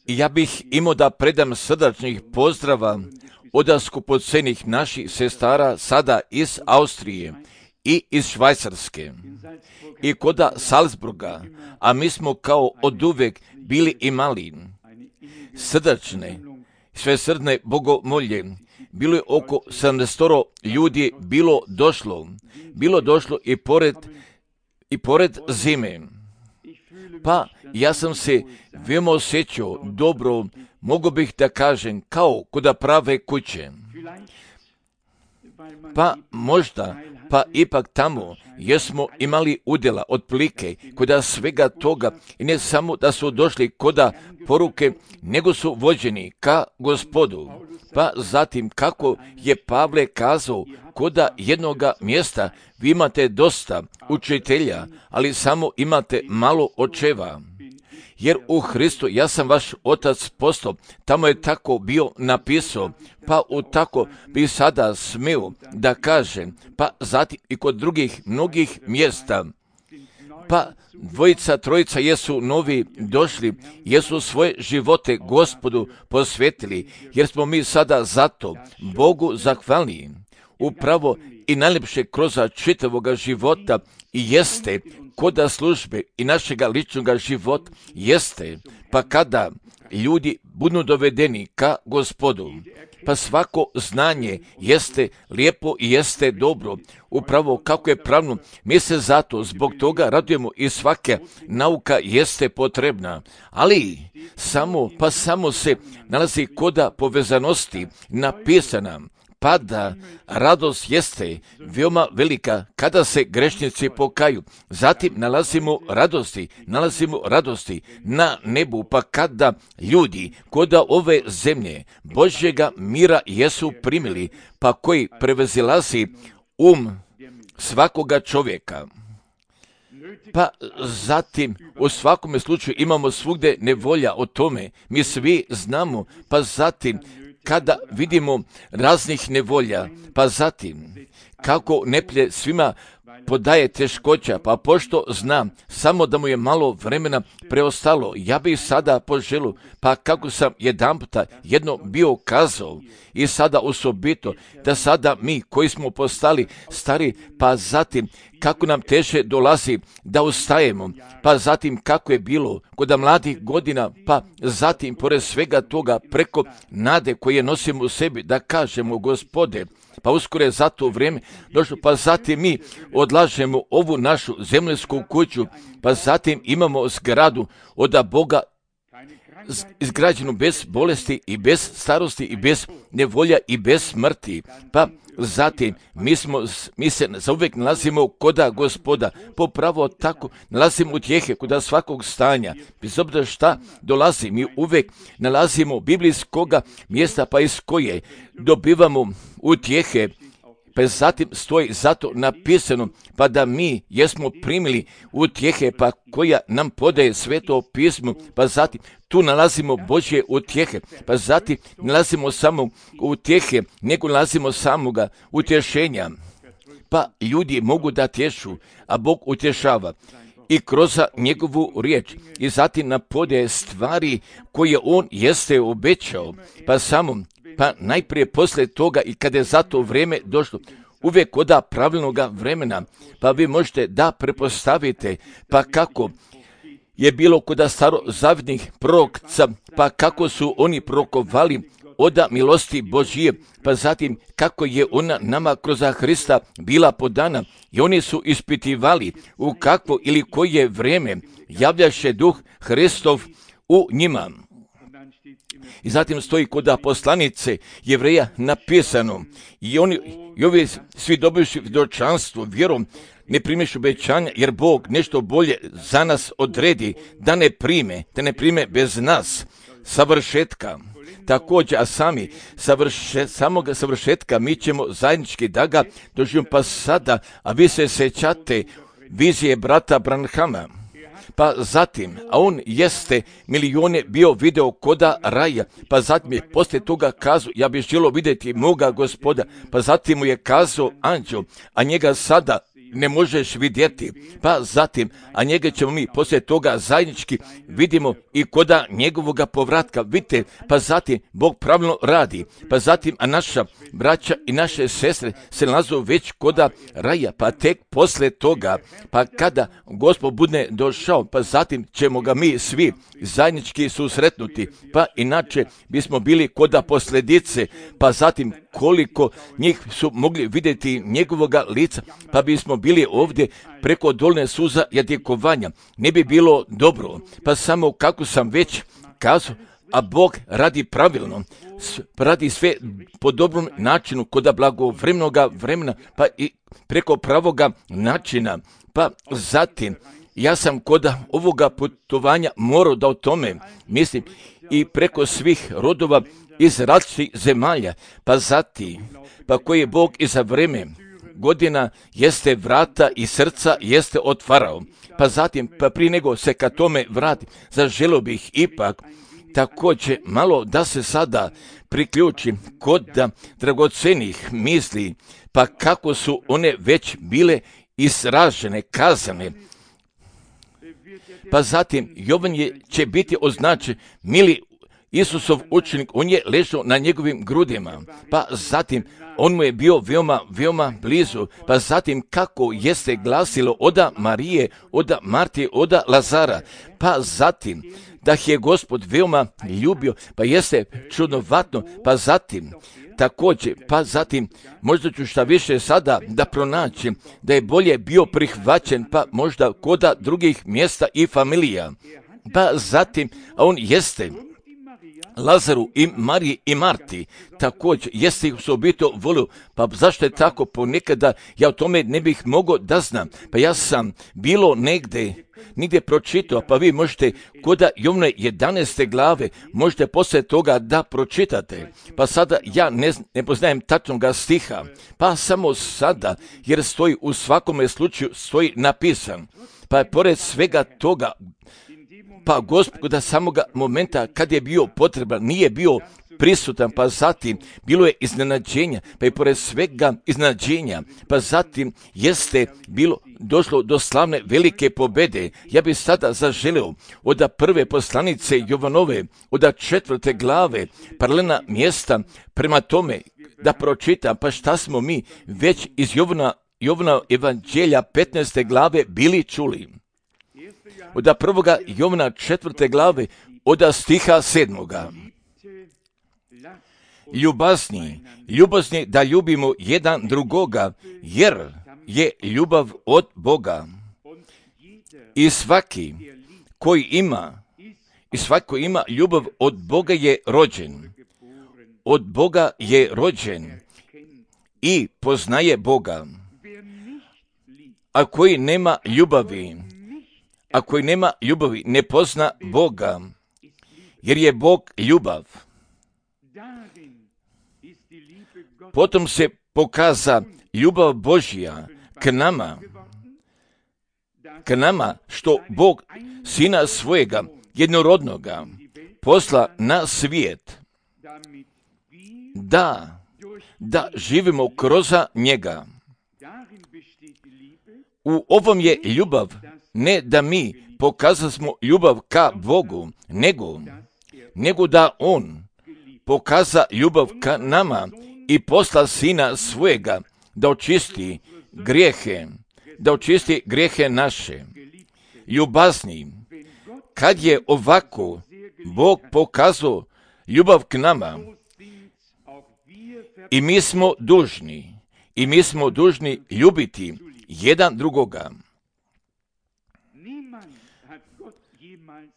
I ja bih imao da predam srdačnih pozdrava od skupocenih naših sestara sada iz Austrije i iz Švajcarske i koda Salzburga, a mi smo kao oduvek bili imali srdačne, svesrdne bogomolje. Bilo je oko 70 ljudi bilo došlo i pored zime. Pa ja sam se veoma osjećao dobro, mogu bih da kažem, kao koda prave kuće. Pa možda, pa ipak tamo jesmo imali udjela otprilike koda svega toga i ne samo da su došli koda poruke, nego su vođeni ka Gospodu. Pa zatim kako je Pavle kazao, koda jednoga mjesta vi imate dosta učitelja, ali samo imate malo očeva. Jer u Hristu ja sam vaš otac postao, tamo je tako bio napisao, pa u tako bi sada smio da kažem, pa zatim i kod drugih mnogih mjesta. Pa dvojica, trojica jesu novi došli, jesu svoje živote Gospodu posvetili, jer smo mi sada zato Bogu zahvalni. Upravo i najljepše kroz čitavoga života i jeste koda službe i našega ličnog života jeste, pa kada ljudi budu dovedeni ka Gospodu, pa svako znanje jeste lijepo i jeste dobro, upravo kako je pravno, mi se zato zbog toga radujemo i svaka nauka jeste potrebna, ali samo se nalazi koda povezanosti napisana, pa da radost jeste veoma velika kada se grešnici pokaju. Zatim nalazimo radosti na nebu, pa kada ljudi koda ove zemlje Božjega mira jesu primili, pa koji prevazilazi svakoga čovjeka. Pa zatim u svakome slučaju imamo svugdje nevolja o tome, mi svi znamo, pa zatim kada vidimo raznih nevolja, pa zatim kako neplje svima podaje teškoća, pa pošto znam samo da mu je malo vremena preostalo, ja bih sada poželio, pa kako sam jedanputa jedno bio kazao i sada osobito, da sada mi koji smo postali stari, pa zatim kako nam teže dolazi da ustajemo, pa zatim kako je bilo kod mladih godina, pa zatim pored svega toga preko nade koje nosimo u sebi da kažemo Gospode, pa uskoro je za to vrijeme došlo, pa zatim mi odlažemo ovu našu zemljsku kuću, pa zatim imamo zgradu od Boga izgrađenu bez bolesti i bez starosti i bez nevolja i bez smrti, pa zatim mi se zauvijek nalazimo koda Gospoda, popravo tako nalazimo utjehe koda svakog stanja, bez obzira šta dolazi, mi uvijek nalazimo biblijskoga mjesta, pa iz koje dobivamo utjehe, pa zatim stoji zato napisano, pa da mi jesmo primili utjehe, pa koja nam podaje sveto pismo, pa zatim tu nalazimo Božje utjehe, pa zatim nalazimo samo utjehe, nego nalazimo samoga utješenja. Pa ljudi mogu da tješu, a Bog utješava i kroz njegovu riječ i zatim nam podaje stvari koje on jeste obećao, pa najprije poslije toga i kada je za to vrijeme došlo, uvijek koda pravilnoga vremena, pa vi možete da prepostavite, pa kako je bilo koda starozavidnih prorokca, pa kako su oni prorokovali od milosti Božije, pa zatim kako je ona nama kroz Hrista bila podana i oni su ispitivali u kakvo ili koje vrijeme javljaše duh Hristov u njima. I zatim stoji kod poslanice Jevreja napisano i ovi svi dobivši svjedočanstvo vjerom ne primiš obećanja, jer Bog nešto bolje za nas odredi da ne prime bez nas savršetka. Također, a samoga savršetka mi ćemo zajednički da ga doživimo, pa sada, a vi se sećate vizije brata Branhama. Pa zatim, a on jeste milijone bio video koda raja, pa zatim je poslije toga kazao, ja bih želio vidjeti moga Gospoda, pa zatim mu je kazao anđel, a njega sada ne možeš vidjeti. Pa zatim, a njega ćemo mi poslije toga zajednički vidimo i koda njegovoga povratka. Vidite, pa zatim Bog pravilno radi. Pa zatim, a naša braća i naše sestre se nalazu već koda raja, pa tek poslije toga, pa kada Gospod bude došao, pa zatim ćemo ga mi svi zajednički susretnuti, pa inače bismo bili koda posljedice, pa zatim koliko njih su mogli vidjeti njegovoga lica, pa bismo bili ovdje preko dolne suza jadikovanja. Ne bi bilo dobro, pa samo kako sam već kazao, a Bog radi pravilno, radi sve po dobrom načinu, koda blagovremenoga vremena, pa i preko pravoga načina. Pa zatim, ja sam koda ovoga putovanja morao da o tome mislim i preko svih rodova iz različitih zemalja, pa zatim, pa koji je Bog i za vreme godina jeste vrata i srca jeste otvarao. Pa zatim, pa prije nego se ka tome vrati, zaželio bih ipak također malo da se sada priključim kod dragocenih misli, pa kako su one već bile izražene, kazane. Pa zatim, Jovan će biti označen mili Isusov učenik, on je ležao na njegovim grudima, pa zatim on mu je bio veoma blizu, pa zatim kako jeste glasilo oda Marije, oda Marti, oda Lazara, pa zatim da je Gospod veoma ljubio, pa jeste čudnovatno, pa zatim također, pa zatim možda ću šta više sada da pronaćem da je bolje bio prihvaćen, pa možda koda drugih mjesta i familija, pa zatim, a on jeste Lazaru i Mariji i Marti, također jeste ih osobito volio, pa zašto je tako ponekada, ja o tome ne bih mogao da znam, pa ja sam bilo nigdje pročitao, pa vi možete koda Jovne 11. glave, možete poslije toga da pročitate, pa sada ja ne poznajem tačnoga stiha, pa samo sada, jer stoji u svakome slučaju, stoji napisan, pa je pored svega toga, pa Gospoda samoga momenta kad je bio potreban, nije bio prisutan, pa zatim bilo je iznenađenja, pa i pored svega iznenađenja, pa zatim jeste bilo došlo do slavne velike pobjede. Ja bih sada zaželio od prve poslanice Jovanove, od 4. glave, paralelna mjesta, prema tome da pročitam, pa šta smo mi već iz Jovana evanđelja 15. glave bili čuli. Od 1. Jovana 4. glave, od stiha 7. Ljubazni da ljubimo jedan drugoga, jer je ljubav od Boga. I svaki koji ima ljubav od Boga je rođen. Od Boga je rođen i poznaje Boga. A koji nema ljubavi, ne pozna Boga, jer je Bog ljubav. Potom se pokaza ljubav Božja k nama, što Bog Sina svojega jednorodnoga posla na svijet, da živimo kroz njega. U ovom je ljubav, ne da mi pokazasmo ljubav ka Bogu, nego da On pokaza ljubav ka nama i posla Sina svojega da očisti grijehe naše. Ljubazni, kad je ovako Bog pokazao ljubav k nama, i mi smo dužni ljubiti jedan drugoga.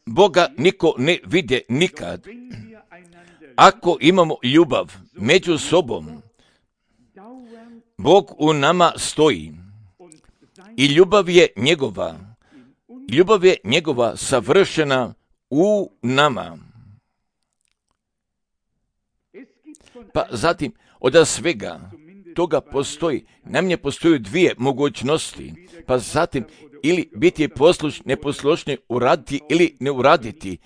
Boga niko ne vide nikad. Ako imamo ljubav među sobom, Bog u nama stoji i ljubav je njegova savršena u nama. Pa zatim, od svega toga postoji dvije mogućnosti, pa zatim ili biti neposlušni, uraditi ili ne uraditi.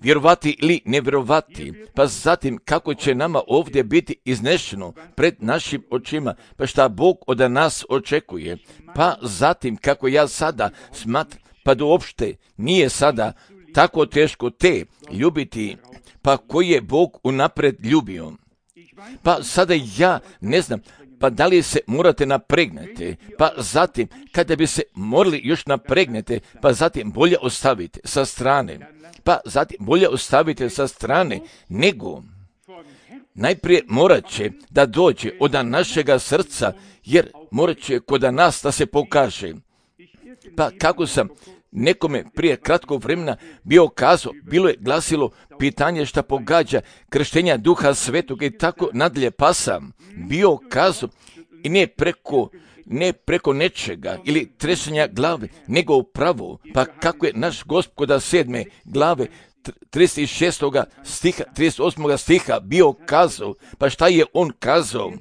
vjerovati ili ne vjerovati, pa zatim kako će nama ovdje biti iznešeno pred našim očima, pa šta Bog od nas očekuje, pa zatim kako ja sada smatram, pa da uopšte nije sada tako teško te ljubiti, pa koji je Bog unaprijed ljubio. Pa sada ja ne znam, pa da li se morate napregnete, pa zatim kada bi se morali još napregnete, pa zatim bolje ostavite sa strane, pa zatim bolje ostavite sa strane, nego najprije morat će da dođe od našega srca, jer morat će kod nas da se pokaže. Pa kako sam nekome prije kratkog vremena bio kazao, bilo je glasilo pitanje šta pogađa krštenja Duha Svetog i tako nadalje, pa sam bio kazao i ne preko nečega ili tresenja glave, nego upravo, pa kako je naš Gospod 7. glave 36. stiha, 38. stiha bio kazao, pa šta je on kazao?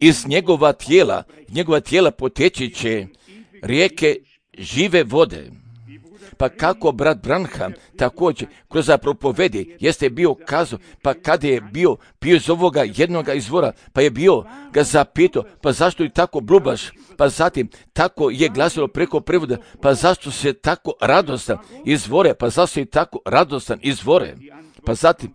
Iz njegova tijela poteći će rijeke žive vode. Pa kako brat Branham također kroz propovedi jeste bio kazao, pa kada je bio pio iz ovoga jednoga izvora, pa je bio ga zapitao, pa zašto je tako blubaš, pa zatim tako je glasilo preko prevoda, pa zašto se tako radostan izvore, pa zašto je tako radostan izvore, pa zatim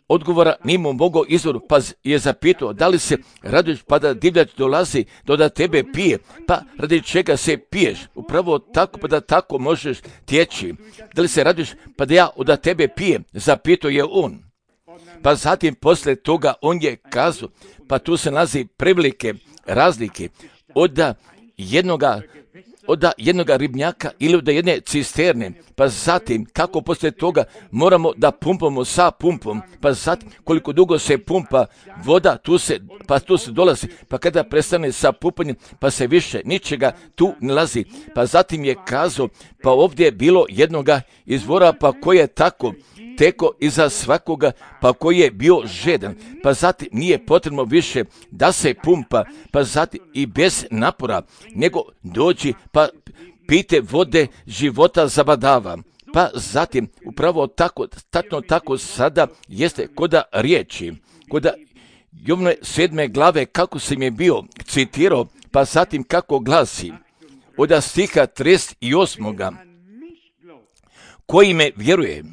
odgovora nimo mogao izvoru, pa je zapitao da li se raduješ pa da divljač dolazi da tebe pije, pa radi čega se piješ, upravo tako pa da tako možeš tjeći, da li se raduješ pa da ja od tebe pijem, zapitao je on. Pa zatim posle toga on je kazao, pa tu se nalazi prevelike razlike od jednoga ribnjaka ili od jedne cisterne, pa zatim kako poslije toga moramo da pumpamo sa pumpom, pa zatim koliko dugo se pumpa voda, tu se dolazi, pa kada prestane sa pumpanjem, pa se više ničega tu ne lazi. Pa zatim je kazao, pa ovdje je bilo jednoga izvora, pa koji je tako teko iza svakoga, pa koji je bio žedan, pa zatim nije potrebno više da se pumpa, pa zatim i bez napora, nego dođi pa pite vode života zabadava. Pa zatim upravo tako, tačno tako sada jeste koda riječi, koda Jovnove 7. glave kako sam je bio citirao, pa zatim kako glasi, od stiha 38. koji me vjeruje,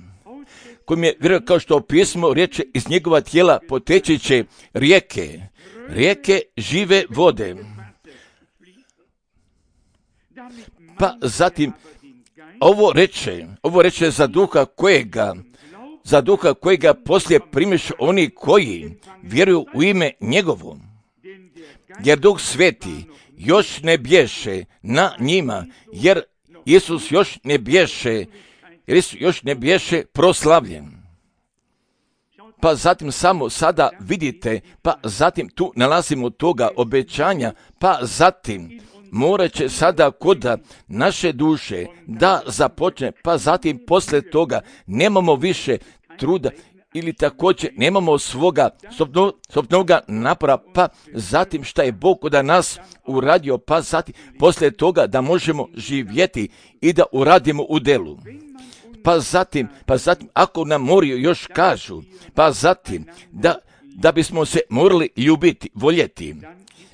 kao što pismo riječe, iz njegova tijela poteći će rijeke žive vode. Pa zatim ovo reče za duha kojega poslije primiš oni koji vjeruju u ime njegovo. Jer Duh Sveti još ne bješe na njima, jer Isus još ne bješe proslavljen. Pa zatim samo sada vidite, pa zatim tu nalazimo toga obećanja, pa zatim morat će sada kod naše duše da započne, pa zatim posle toga nemamo više truda ili također nemamo svoga sobnoga napora, pa zatim šta je Bog kod nas uradio, pa zatim posle toga da možemo živjeti i da uradimo u delu. Pa zatim, ako nam moraju još kažu, pa zatim, da bismo se morali ljubiti, voljeti,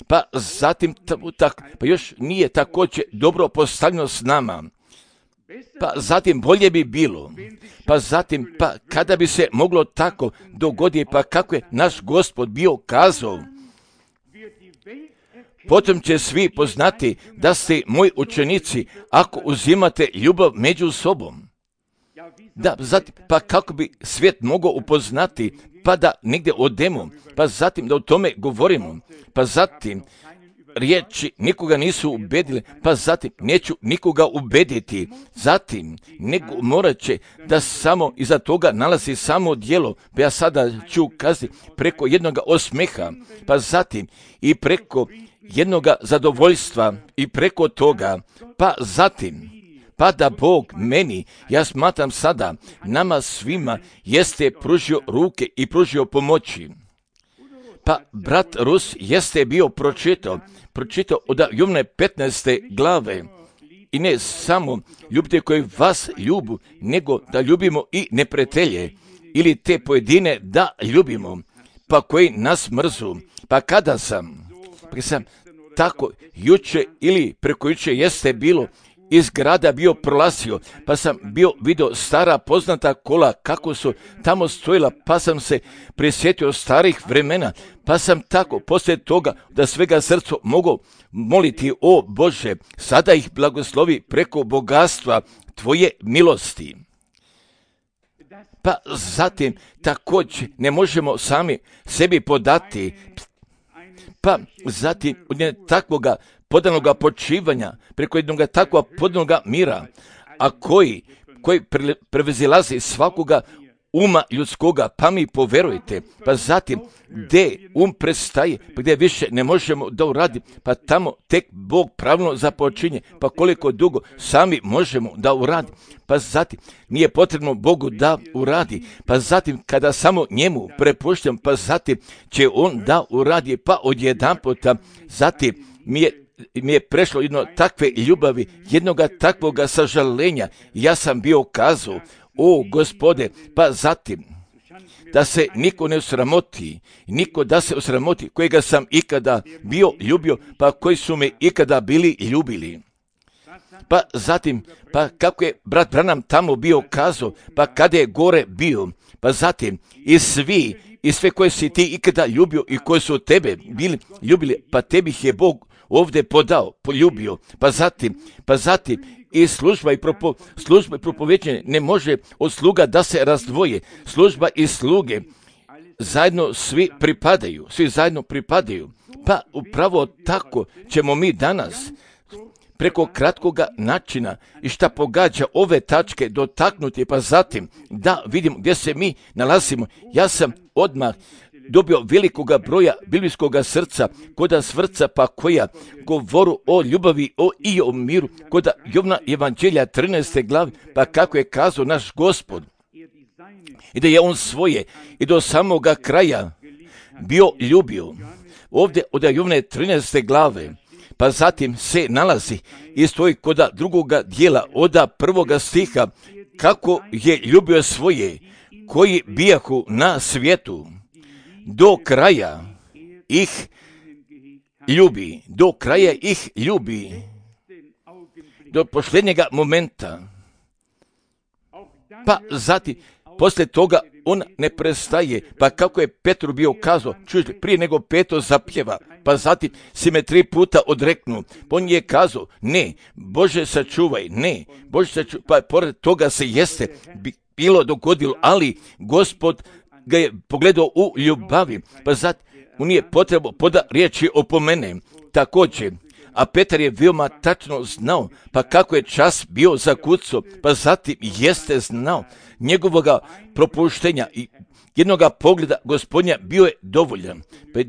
pa zatim, pa još nije također dobro postavljeno s nama, pa zatim bolje bi bilo, pa zatim, pa kada bi se moglo tako dogoditi, pa kako je naš Gospod bio kazao, potom će svi poznati da ste moji učenici ako uzimate ljubav među sobom. Da, zatim, pa kako bi svijet mogao upoznati, pa da negdje odemo, pa zatim da o tome govorimo, pa zatim riječi nikoga nisu ubedile, pa zatim neću nikoga ubediti, zatim nego morat će da samo iza toga nalazi samo djelo, pa ja sada ću kazati preko jednoga osmeha, pa zatim i preko jednoga zadovoljstva i preko toga, pa zatim pa da Bog meni, ja smatram sada, nama svima jeste pružio ruke i pružio pomoći. Pa brat Rus jeste bio pročitao od Jovne 15. glave i ne samo ljubite koji vas ljubu, nego da ljubimo i neprijatelje, ili te pojedine da ljubimo, pa koji nas mrzu. Pa kada sam tako juče ili preko juče jeste bilo, iz grada bio prolazio, pa sam bio vidio stara poznata kola kako su tamo stojila, pa sam se prisjetio starih vremena, pa sam tako poslije toga da svega srca mogu moliti, o Bože, sada ih blagoslovi preko bogatstva Tvoje milosti. Pa zatim također ne možemo sami sebi podati, pa zatim od takvoga podanoga počivanja, preko jednog takvog podanoga mira, a koji prevezilazi svakoga uma ljudskoga, pa mi poverujte, pa zatim gdje prestaje, pa gdje više ne možemo da uradi, pa tamo tek Bog pravilno započinje, pa koliko dugo sami možemo da uradi, pa zatim nije potrebno Bogu da uradi, pa zatim kada samo njemu prepuštam, pa zatim će on da uradi, pa odjedanputa zatim mi je prešlo jedno takve ljubavi, jednoga takvoga sažalenja, ja sam bio kazao, o Gospode, pa zatim da se niko ne osramoti, niko da se osramoti kojega sam ikada bio ljubio, pa koji su me ikada bili ljubili. Pa zatim, pa kako je brat Branham tamo bio kazao, pa kada je gore bio, pa zatim i sve koje si ti ikada ljubio i koji su tebe bili ljubili, pa tebi ih je Bog ovdje poljubio, pa zatim i služba i propoveđenje ne može od sluga da se razdvoje. Služba i sluge zajedno svi zajedno pripadaju. Pa upravo tako ćemo mi danas preko kratkoga načina i šta pogađa ove tačke dotaknuti, pa zatim da vidimo gdje se mi nalazimo. Ja sam odmah dobio velikoga broja biblijskoga srca, koda svrca pa koja govoru o ljubavi i o miru, koda Jovna Evanđelja 13. glavi, pa kako je kazao naš Gospod, i da je on svoje i do samoga kraja bio ljubio. Ovdje od Jovne 13. glave, pa zatim se nalazi i stoji koda drugoga dijela, od prvoga stiha, kako je ljubio svoje, koji bijahu na svijetu, do kraja ih ljubi, do posljednjega momenta. Pa zatim, poslije toga on ne prestaje, pa kako je Petru bio kazao, čujte, prije nego Petro zapjeva, pa zatim si me 3 puta odreknuo, pa on je kazao, ne, Bože sačuvaj, ne, Bože sačuvaj, pa pored toga se jeste bilo dogodilo, ali Gospod ga je pogledao u ljubavi, pa zatim mu nije potrebno poda riječi opomene. Također, a Petar je veoma tačno znao, pa kako je čas bio zakucao, pa zatim jeste znao njegovoga propuštenja i jednoga pogleda Gospodnja bio je dovoljan. Pa je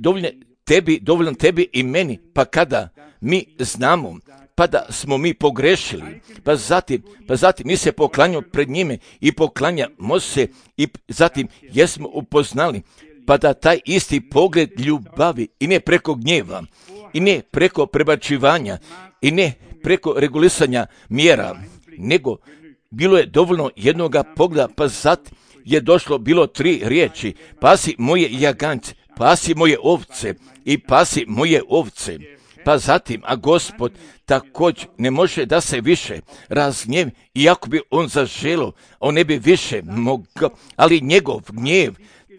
dovoljan tebi i meni, pa kada mi znamo, pa da smo mi pogrešili, pa zatim mi se poklanjamo pred njime i poklanjamo se i zatim jesmo upoznali, pa da taj isti pogled ljubavi i ne preko gnjeva, i ne preko prebačivanja, i ne preko regulisanja mjera, nego bilo je dovoljno jednoga pogleda, pa zatim je došlo bilo 3 riječi, pasi moje jagance, pasi moje ovce i pasi moje ovce. Pa zatim, a Gospod također ne može da se više razgnjevi, iako bi on zaželio, on ne bi više mogao, ali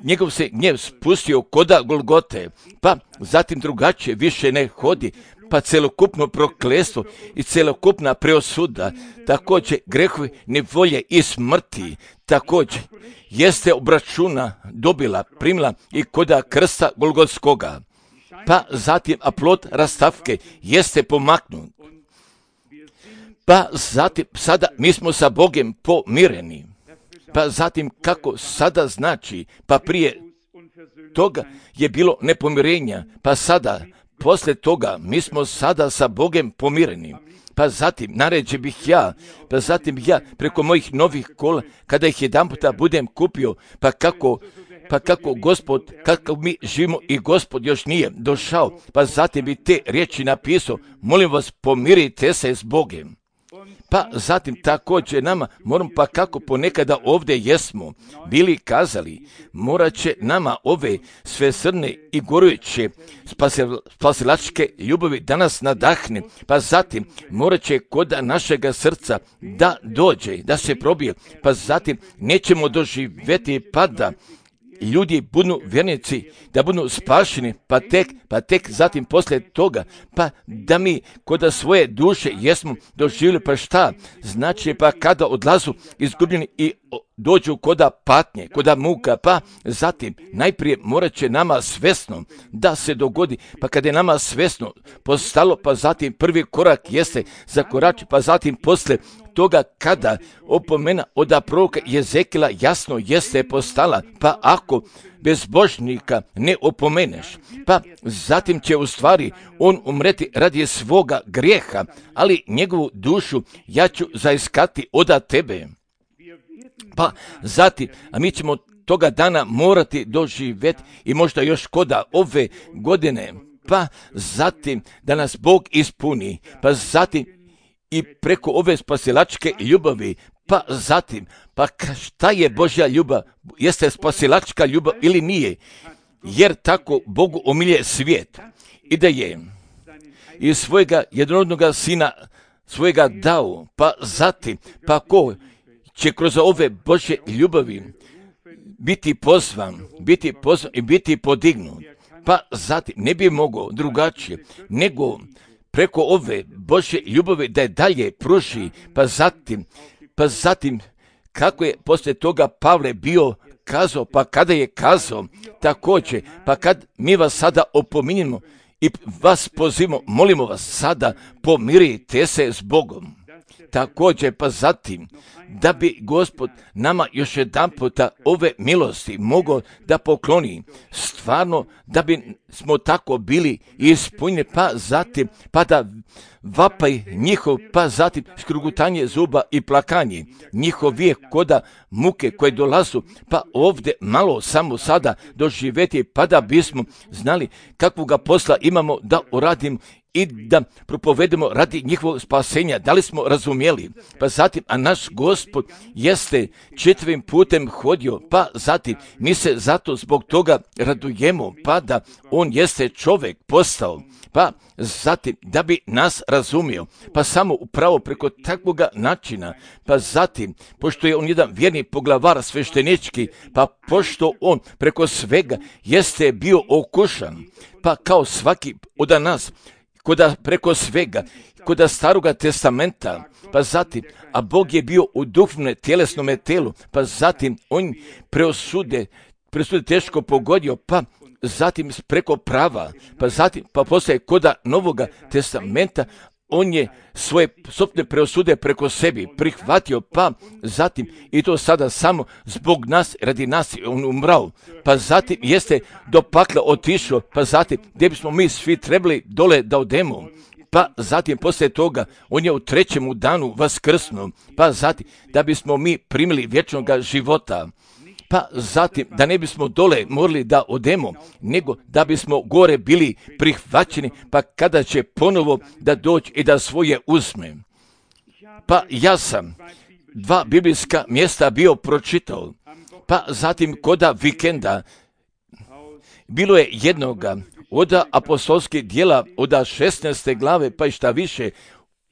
njegov se gnjev spustio koda Golgote, pa zatim drugačije više ne hodi, pa celokupno prokletstvo i celokupna preosuda, također grehovi, nevolje i smrti, također jeste obračuna primila i koda krsta Golgotskoga. Pa zatim, a plod rastavke jeste pomaknut. Pa zatim, sada mi smo sa Bogom pomireni. Pa zatim, kako sada znači, pa prije toga je bilo nepomirenja, pa sada, poslije toga, mi smo sada sa Bogom pomireni. Pa zatim, naređe bih ja preko mojih novih kola, kada ih jedanputa budem kupio, pa kako Gospod, kako mi živimo i Gospod još nije došao, pa zatim bi te riječi napisao, molim vas, pomirite se s Bogom. Pa zatim također nama, moramo pa kako ponekada ovdje jesmo bili kazali, morat će nama ove svesrdne i gorujuće spasilačke ljubavi danas nadahne, pa zatim morat će kod našega srca da dođe, da se probije, pa zatim nećemo doživjeti pada ljudi budu vjernici, da budu spašeni, pa tek zatim poslije toga, pa da mi kod svoje duše jesmo doživjeli, pa šta? Znači pa kada odlazu izgubljeni i dođu koda patnje, koda muka, pa zatim najprije morat će nama svesno da se dogodi, pa kada je nama svesno postalo, pa zatim prvi korak jeste zakorači, pa zatim poslije toga kada opomena od proroka Jezekila jasno jeste postala, pa ako bezbožnika ne opomeneš, pa zatim će u stvari on umreti radi svoga grijeha, ali njegovu dušu ja ću zaiskati od tebe. Pa zatim, a mi ćemo toga dana morati doživjeti i možda još koda ove godine, pa zatim da nas Bog ispuni, pa zatim i preko ove spasilačke ljubavi, pa zatim, pa šta je Božja ljubav? Jeste spasilačka ljubav ili nije? Jer tako Bogu omilje svijet i da je iz svojega jednorodnoga sina svojega dao, pa zatim, pa ko će kroz ove Božje ljubavi biti pozvan i biti podignut, pa zatim ne bi mogao drugačije nego preko ove Božje ljubavi da je dalje pruži, pa zatim kako je poslije toga Pavle bio kazao, pa kada je kazao također, pa kad mi vas sada opominjemo i vas pozivamo, molimo vas sada, pomirite se s Bogom. Također, pa zatim, da bi Gospod nama još jedan puta ove milosti mogao da pokloni, stvarno da bi smo tako bili ispunjeni, pa zatim, pa da vapaj njihov, pa zatim škrugutanje zuba i plakanje, njihov vijek koda muke koje dolazu, pa ovdje malo samo sada doživjeti, pa da bismo znali kakvoga posla imamo da uradimo i da propovedemo radi njihovog spasenja. Da li smo razumjeli? Pa zatim, a naš Gospod jeste četvrim putem hodio, pa zatim mi se zato zbog toga radujemo, pa da on jeste čovjek postao, pa zatim da bi nas razumio, pa samo upravo preko takvoga načina, pa zatim, pošto je on jedan vjerni poglavar sveštenički, pa pošto on preko svega jeste bio okušan, pa kao svaki od nas, koda preko svega, koda staroga testamenta, pa zatim, a Bog je bio u duhovnom tjelesnom telu, pa zatim on presude teško pogodio, pa zatim preko prava, pa zatim, pa poslije koda novoga testamenta, on je svoje sopne presude preko sebi prihvatio, pa zatim, i to sada samo zbog nas, radi nas je on umrao, pa zatim jeste do pakla otišao, pa zatim, gdje bismo mi svi trebali dole da odemo, pa zatim poslije toga, on je u trećemu danu vaskrsnuo, pa zatim, da bismo mi primili vječnoga života, pa zatim da ne bismo dole morali da odemo, nego da bismo gore bili prihvaćeni, pa kada će ponovo da doći i da svoje uzme. Pa ja sam 2 biblijska mjesta bio pročitao, pa zatim koda vikenda bilo je jednoga od apostolskih djela od 16. glave, pa i šta više,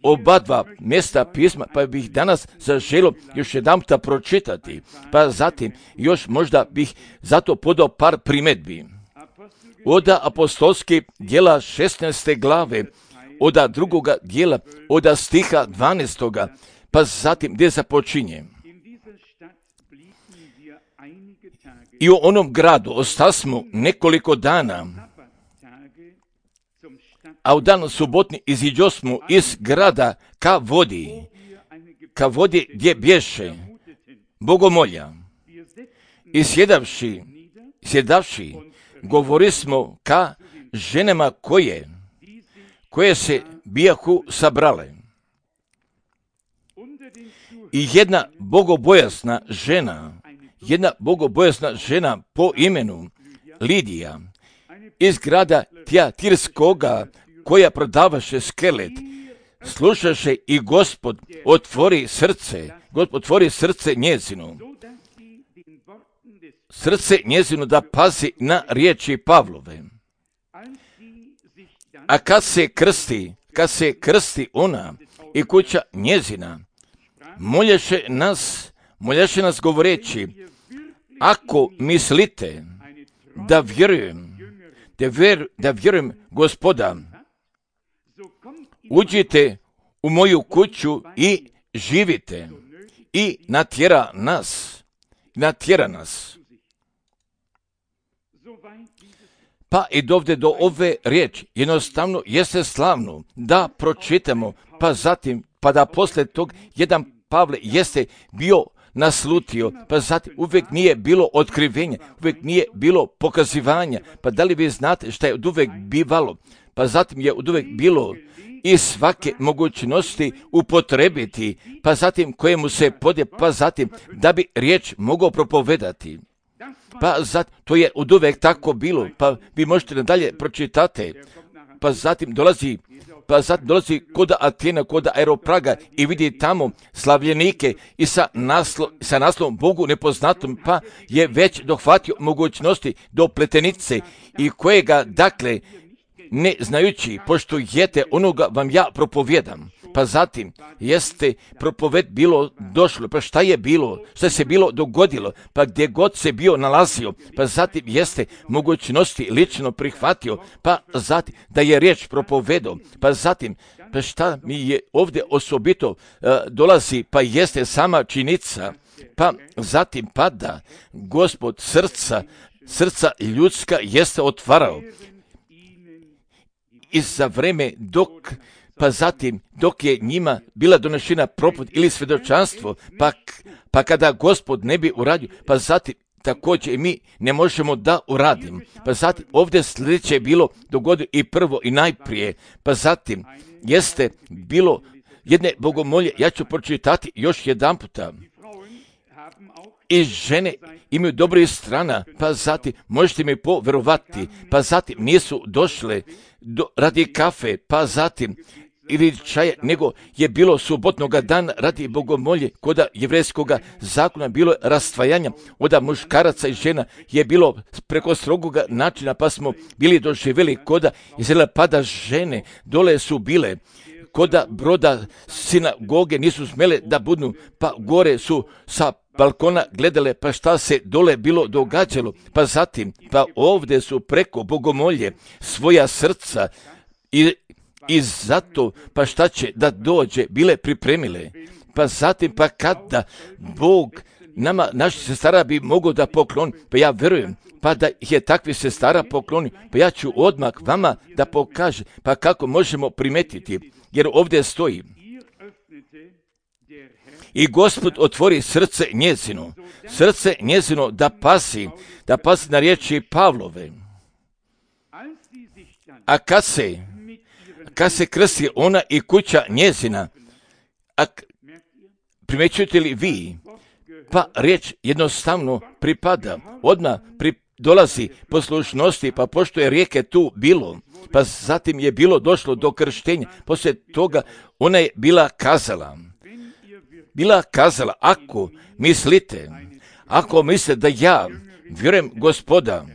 oba 2 mjesta pisma, pa bih danas zaželio još jedanputa pročitati, pa zatim još možda bih zato podao par primjedbi. Od apostolskih djela 16. glave, od 2. djela, od stiha 12. pa zatim gdje započinje. I u onom gradu ostasmo nekoliko dana, a u dan subotni iziđosmo iz grada ka vodi gdje bješe bogomolja. I sjedavši, govorismo ka ženama koje se bijahu sabrale. I jedna bogobojasna žena po imenu Lidija iz grada Tijatirskoga, koja prodavaše skelet, slušaše i Gospod otvori srce njezino. Srce njezino da pazi na riječi Pavlove. A kad se krsti ona i kuća njezina, molješe nas govoreći, ako mislite da vjerujem Gospoda, uđite u moju kuću i živite. I natjera nas. Pa i dovde do ove riječi, jednostavno jeste slavno da pročitamo, pa da poslije tog jedan Pavle jeste bio naslutio, pa zatim uvijek nije bilo otkrivenja, uvijek nije bilo pokazivanja, pa da li vi znate šta je od uvijek bivalo, pa zatim je od uvijek bilo i svake mogućnosti upotrebiti, pa zatim kojemu se podje, pa zatim da bi riječ mogao propovedati. Pa zatim, to je od uvijek tako bilo, pa vi možete nadalje pročitati, pa zatim dolazi kod Atena, kod Aeropraga i vidi tamo slavljenike i sa naslovom Bogu nepoznatom, pa je već dohvatio mogućnosti do pletenice i kojega, dakle, ne znajući, pošto jete onoga vam ja propovjedam. Pa zatim jeste propoved bilo došlo, pa šta se bilo dogodilo, pa gdje god se bio nalazio, pa zatim jeste mogućnosti lično prihvatio, pa zatim da je riječ propovedao, pa zatim pa šta mi je ovdje osobito dolazi, pa jeste sama činjenica, pa zatim pada Gospod srca ljudska jeste otvarao. I za vreme dok je njima bila donešena propoved ili svjedočanstvo, pa kada Gospod ne bi uradio, pa zatim također i mi ne možemo da uradimo. Pa zatim ovdje sljedeće je bilo dogodilo i prvo i najprije, pa zatim jeste bilo jedne bogomolje, ja ću pročitati još jedan puta. I žene imaju dobrih strana, pa zatim možete mi poverovati, pa zatim nisu došle radi kafe, pa zatim ili čaja, nego je bilo subotnoga dana radi bogomolje, koda jevrejskoga zakona bilo rastvajanja, oda muškaraca i žena je bilo preko strogoga načina, pa smo bili doživjeli koda Izraela, pada žene, dole su bile, koda broda sinagoge nisu smjele da budu, pa gore su sa balkona gledale, pa šta se dole bilo događalo, pa zatim, pa ovdje su preko bogomolje svoja srca i zato, pa šta će da dođe, bile pripremile, pa zatim, pa kada Bog nama, naših sestara bi mogao da pokloni, pa ja vjerujem, pa da je takvi sestara pokloni, pa ja ću odmah vama da pokažem, pa kako možemo primetiti, jer ovdje stoji, i Gospod otvori srce njezino da pasi na riječi Pavlove. A kad se krsti ona i kuća njezina, primjećujete li vi, pa riječ jednostavno pripada, odmah dolazi poslušnosti, pa pošto je rijeke tu bilo, pa zatim je bilo došlo do krštenja, poslije toga ona je bila kazala, ako mislite da ja vjerujem Gospoda,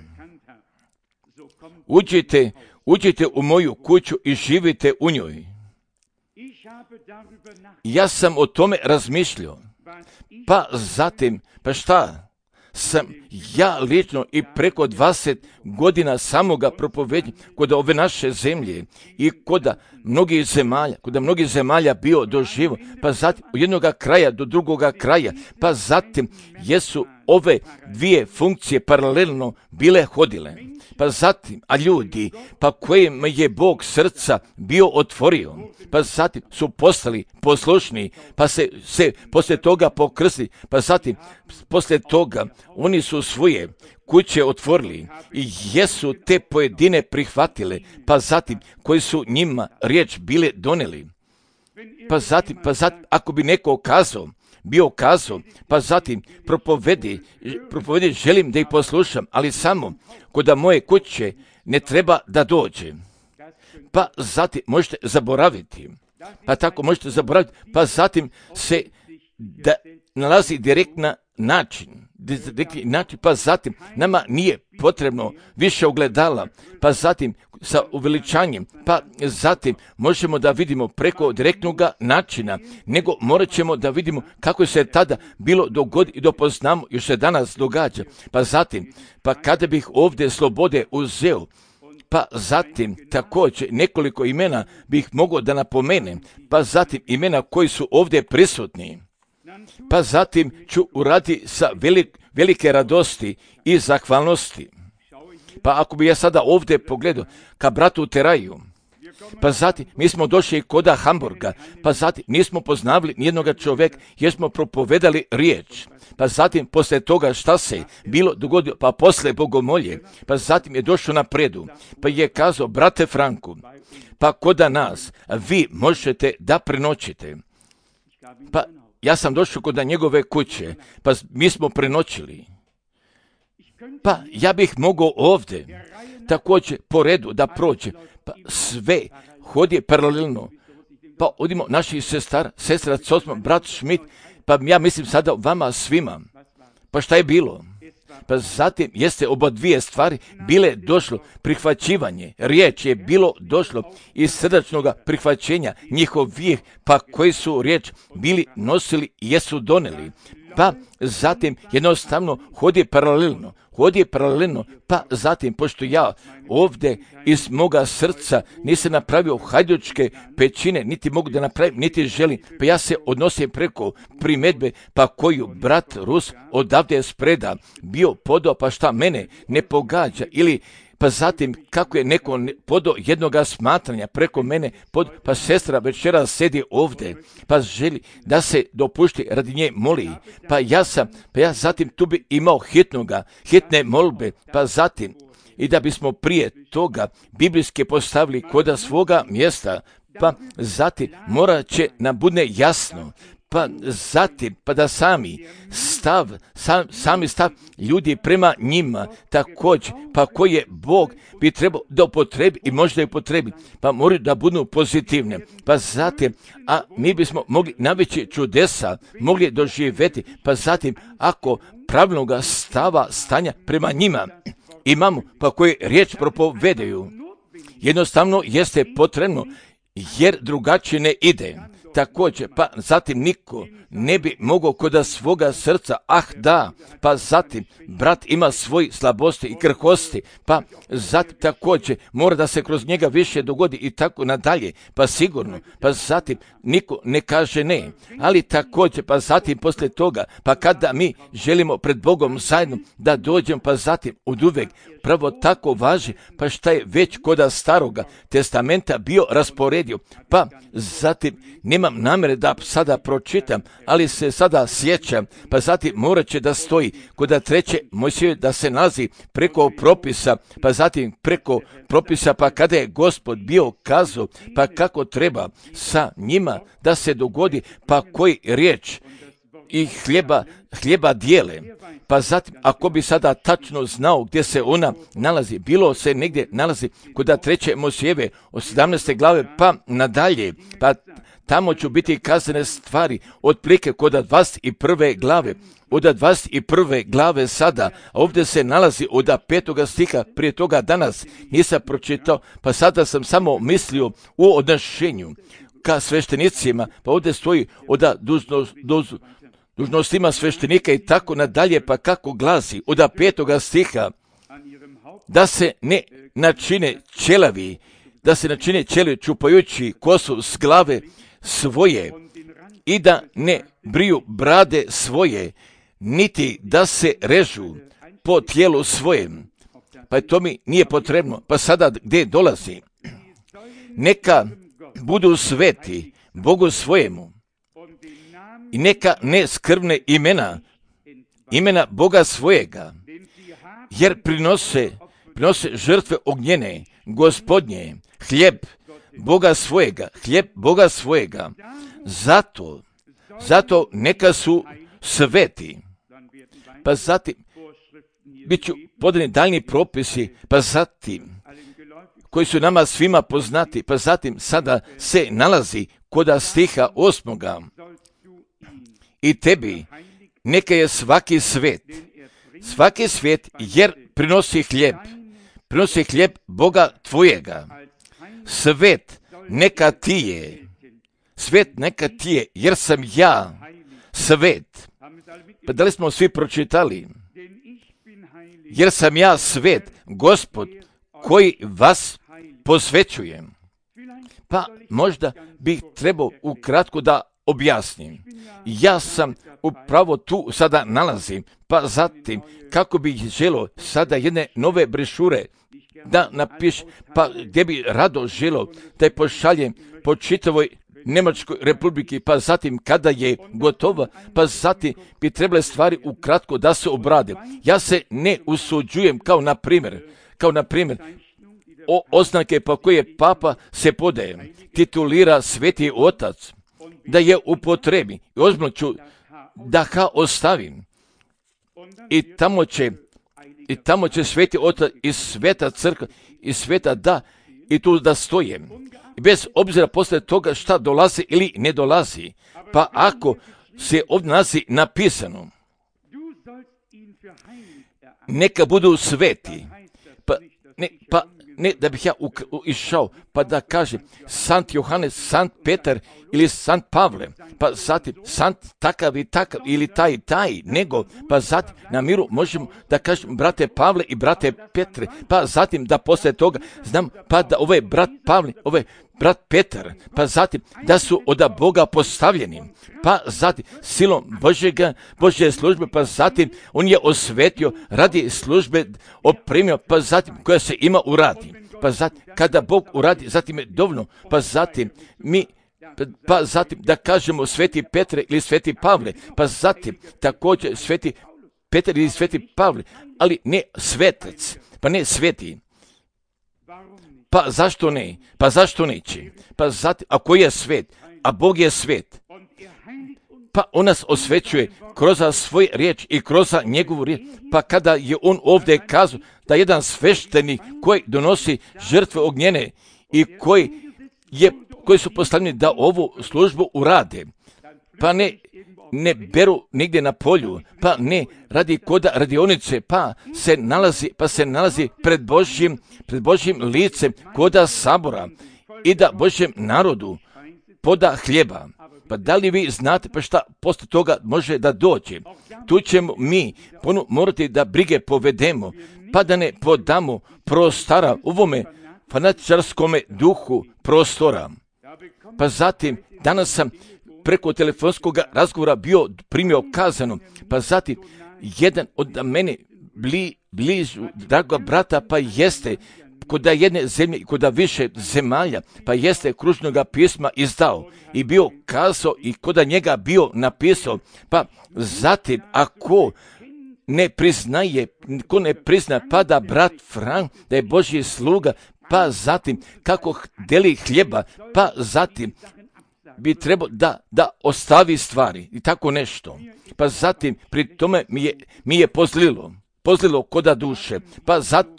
uđite u moju kuću i živite u njoj. Ja sam o tome razmišljao, pa zatim, pa šta sam ja lično i preko 20 godina samoga propovednja kod ove naše zemlje i kod mnogih zemalja bio doživo, pa zatim od jednoga kraja do drugoga kraja, pa zatim jesu ove dvije funkcije paralelno bile hodile. Pa zatim, a ljudi, pa kojim je Bog srca bio otvorio, pa zatim su postali poslušni, pa se poslije toga pokrstili, pa zatim poslije toga oni su svoje kuće otvorili i jesu te pojedine prihvatile, pa zatim koji su njima riječ bile doneli. Pa zatim, ako bi neko bio kazao, pa zatim propovedi, želim da ih poslušam, ali samo kod moje kuće ne treba da dođe. Pa zatim možete zaboraviti, pa tako možete zaboraviti, pa zatim se da nalazi direktni način, pa zatim nama nije potrebno više ogledala, pa zatim sa uveličanjem, pa zatim možemo da vidimo preko direktnog načina, nego morat ćemo da vidimo kako se tada bilo dogodi i dopoznamo, još se danas događa, pa zatim, pa kada bih ovdje slobode uzeo, pa zatim također nekoliko imena bih mogao da napomenem, pa zatim imena koji su ovdje prisutni, pa zatim ću uraditi sa velike radosti i zahvalnosti. Pa ako bi ja sada ovdje pogledao ka bratu Teraju, pa zatim mi smo došli koda Hamburga, pa zatim nismo poznavali nijednoga čovjeka jer smo propovedali riječ. Pa zatim poslije toga šta se bilo dogodilo, pa poslije bogomolje, pa zatim je došao na predu, pa je kazao, brate Franku, pa koda nas vi možete da prenoćite. Pa ja sam došao kod njegove kuće, pa mi smo prenoćili. Pa ja bih mogao ovdje također po redu da prođe, pa sve hodi paralelno. Pa odimo naših sestra Cosmo, brat Schmidt, pa ja mislim sada vama svima. Pa šta je bilo? Pa zatim jeste oba dvije stvari bile došlo, prihvaćivanje, riječ je bilo došlo iz srdačnog prihvaćenja njihovih, pa koji su riječ bili nosili i jesu doneli. Pa zatim jednostavno hodi paralelno, pa zatim, pošto ja ovdje iz moga srca nisam napravio hajdučke pećine, niti mogu da napravim, niti želim, pa ja se odnosim preko primedbe, pa koju brat Rus odavde spreda bio podao, pa šta mene ne pogađa, ili pa zatim kako je neko podao jednoga smatranja preko mene, pa sestra večeras sedi ovdje, pa želi da se dopušti radi nje moli, pa ja zatim tu bi imao hitne molbe, pa zatim i da bismo prije toga biblijske postavili koda svoga mjesta, pa zatim morat će nam bude jasno, pa zatim, pa da sami stav ljudi prema njima također, pa koji je Bog bi trebao da upotrebi i možda upotrebi, pa moraju da budu pozitivne, pa zatim, a mi bismo mogli najveće čudesa mogli doživjeti, pa zatim, ako pravilnog stanja prema njima imamo, pa koji riječ propovedaju, jednostavno jeste potrebno, jer drugačije ne ide. Također, pa zatim niko ne bi mogao koda svoga srca, pa zatim brat ima svoj slabosti i krhosti, pa zatim također mora da se kroz njega više dogodi i tako nadalje, pa sigurno, pa zatim niko ne kaže ne, ali također, pa zatim poslije toga, pa kada mi želimo pred Bogom zajedno da dođemo, pa zatim oduvek pravo tako važi, pa šta je već koda staroga testamenta bio rasporedio, pa zatim nemam namere da sada pročitam, ali se sada sjećam, pa zatim morat će da stoji koda treće Mojsije da se nalazi preko propisa, pa zatim preko propisa, pa kada je Gospod bio kazao, pa kako treba sa njima da se dogodi, pa koji riječ i hljeba dijele. Pa zatim, ako bi sada tačno znao gdje se ona nalazi, bilo se negdje nalazi kod treće Mojsijeve od 17. glave pa nadalje, pa tamo ću biti kazane stvari otprilike kod 21. glave. Od 21. glave sada, a ovdje se nalazi od 5. stiha, prije toga danas nisam pročitao, pa sada sam samo mislio u odnošenju ka sveštenicima, pa ovdje stoji od dužnostima sveštenika i tako nadalje, pa kako glasi od 5. stiha, da se ne načine ćelavi, čupajući kosu s glave svoje i da ne briju brade svoje, niti da se režu po tijelu svojem. Pa to mi nije potrebno. Pa sada gdje dolazi? Neka budu sveti Bogu svojemu i neka ne skrvne imena Boga svojega, jer prinose žrtve ognjene, Gospodnje, hljeb Boga svojega. Zato neka su sveti. Pa zatim bit ću podani daljni propisi, pa zatim koji su nama svima poznati, pa zatim sada se nalazi kod stiha 8. I tebi neka je svaki svet, jer prinosi hljeb Boga tvojega. Svet neka ti je, jer sam ja svet. Pa da li smo svi pročitali? Jer sam ja svet, Gospod, koji vas posvećujem. Pa možda bih trebao ukratko da objasnim. Ja sam upravo tu sada nalazim, pa zatim kako bih želio sada jedne nove brešure da napiš, pa gdje bi rado želio da je pošaljem po čitavoj Njemačkoj republiki, pa zatim kada je gotova, pa zatim bi trebale stvari ukratko da se obrade. Ja se ne usuđujem kao na primjer oznake po koje papa se podaje, titulira Sveti Otac, da je upotrebi i ozbiljno ću da ga ostavim. I tamo će Sveti Otac i Sveta Crkva i Sveta da i tu da stoje. Bez obzira posle toga šta dolazi ili ne dolazi. Pa ako se ovdje nalazi napisano, neka budu sveti, pa ne da bih ja išao, pa da kažem Sant Johanes, Sant Petar ili Sant Pavle, pa zatim Sant takav i takav ili taj, nego, pa zatim na miru možemo da kažem brate Pavle i brate Petre, pa zatim da posle toga znam, pa da ovaj brat Pavle, ovaj brat Petar, pa zatim da su od Boga postavljeni, pa zatim silom Božje službe, pa zatim on je osvetio radi službe opremio, pa zatim koja se ima uradi, pa zatim kada Bog uradi, zatim je dovoljno, pa zatim da kažemo Sveti Petre ili Sveti Pavle, pa zatim također Sveti Petar ili Sveti Pavle, ali ne svetac, pa ne sveti. Pa zašto ne? Pa zašto neće? Pa zatim, ako je svet, a Bog je svet, pa on nas osvećuje kroz svoj riječ i kroz njegovu riječ. Pa kada je on ovdje kazao da jedan sveštenik koji donosi žrtve ognjene i koji su postavljeni da ovu službu urade, pa ne beru nigdje na polju, pa ne radi koda radionice, pa se nalazi pred Božjim licem koda sabora i da Božjem narodu poda hljeba. Pa da li vi znate pa šta posle toga može da dođe? Tu ćemo mi morati da brige povedemo, pa da ne podamo prostora u ovome fanatičarskome duhu prostora. Pa zatim, danas sam preko telefonskog razgovora primio kazano, pa zatim jedan od mene blizu drago brata, pa jeste kod jedne zemlje i kod više zemalja, pa jeste kružnoga pisma izdao i bio kazao i kod njega bio napisao, pa zatim ako ne prizna, pa da brat Frank, da je Božji sluga, pa zatim kako deli hljeba, pa zatim bi trebao da ostavi stvari i tako nešto. Pa zatim pri tome mi je pozlilo koda duše, pa zatim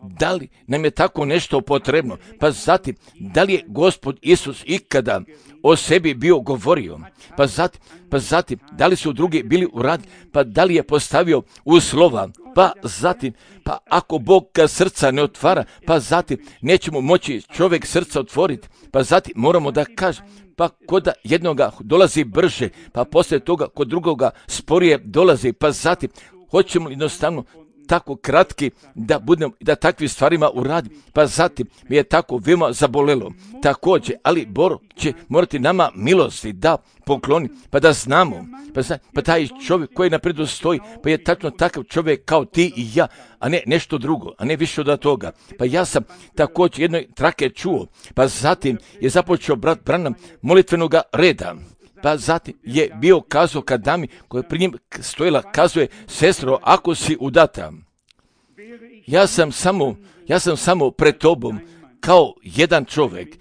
da li nam je tako nešto potrebno, pa zatim da li je Gospod Isus ikada o sebi bio govorio, pa zatim da li su drugi bili uradili, pa da li je postavio uslova, pa zatim pa ako Bog srca ne otvara, pa zatim nećemo moći čovjek srca otvoriti, pa zatim moramo da kažemo, pa kod jednoga dolazi brže, pa poslije toga kod drugoga sporije dolazi, pa zatim hoćemo jednostavno tako kratki da budemo, da takvim stvarima uradi, pa zatim mi je tako veoma zabolelo. Također, ali Bog će morati nama milosti da pokloni, pa da znamo, pa taj čovjek koji napredu stoji, pa je tačno takav čovjek kao ti i ja, a ne nešto drugo, a ne više od toga. Pa ja sam također jednoj trake čuo, pa zatim je započeo brat Branham molitvenoga reda. Pa zatim je bio kazao kad dami koja je pri njim stojila, kazuje, sestro, ako si udata, ja sam samo pred tobom kao jedan čovjek,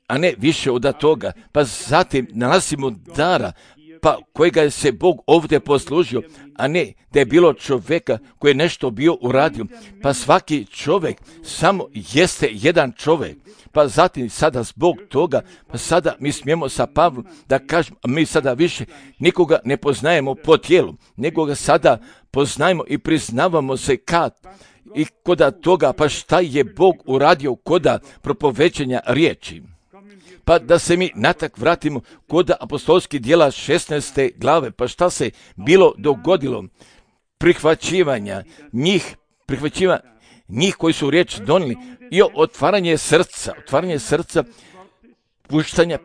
a ne više od toga. Pa zatim nalazimo dara, pa kojega je se Bog ovdje poslužio, a ne da je bilo čovjeka koji je nešto bio uradio. Pa svaki čovjek samo jeste jedan čovjek. Pa zatim sada zbog toga, pa sada mi smijemo sa Pavlom da kažemo, mi sada više nikoga ne poznajemo po tijelu, nego ga sada poznajemo i priznavamo se kad i koda toga, pa šta je Bog uradio koda propovećenja riječi. Pa da se mi natak vratimo koda apostolskih djela 16. glave, pa šta se bilo dogodilo? Prihvaćivanja njih koji su riječ donijeli i otvaranje srca, puštanje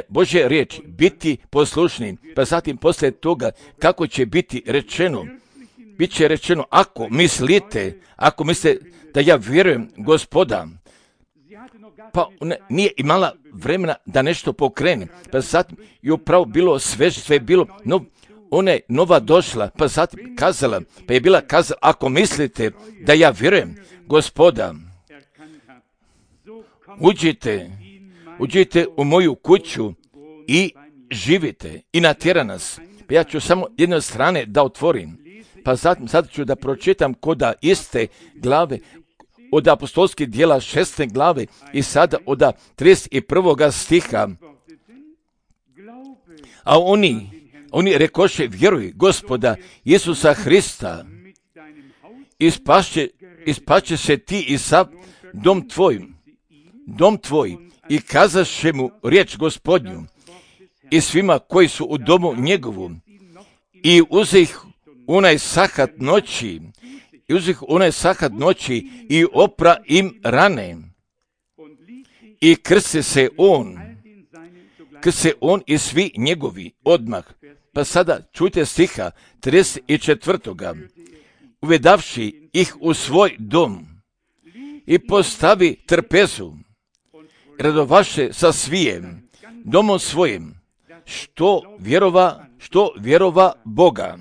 Božje riječi, biti poslušni. Pa zatim poslije toga kako će biti rečeno, bit će rečeno ako mislite da ja vjerujem Gospoda, pa nije imala vremena da nešto pokrene, pa zatim je upravo bilo sve bilo, ona je nova došla, pa zatim kazala, pa je bila kazala, ako mislite da ja vjerujem Gospoda, uđite u moju kuću i živite i natjera nas. Pa ja ću samo jedne strane da otvorim, pa zatim sad ću da pročitam koda iste glave, od apostolskih djela 16. glave i sada od 31. stiha. A oni rekoše, vjeruj Gospoda Isusa Hrista, ispašće se ti i sav dom tvoj, i kazaše mu riječ Gospodnju i svima koji su u domu njegovu, i uzeh onaj sahat noći i opra im rane i krste se on i svi njegovi odmah. Pa sada čujte stiha 34. Uvedavši ih u svoj dom i postavi trpezu, radovaše sa svijem domom svojim, što vjerova Boga.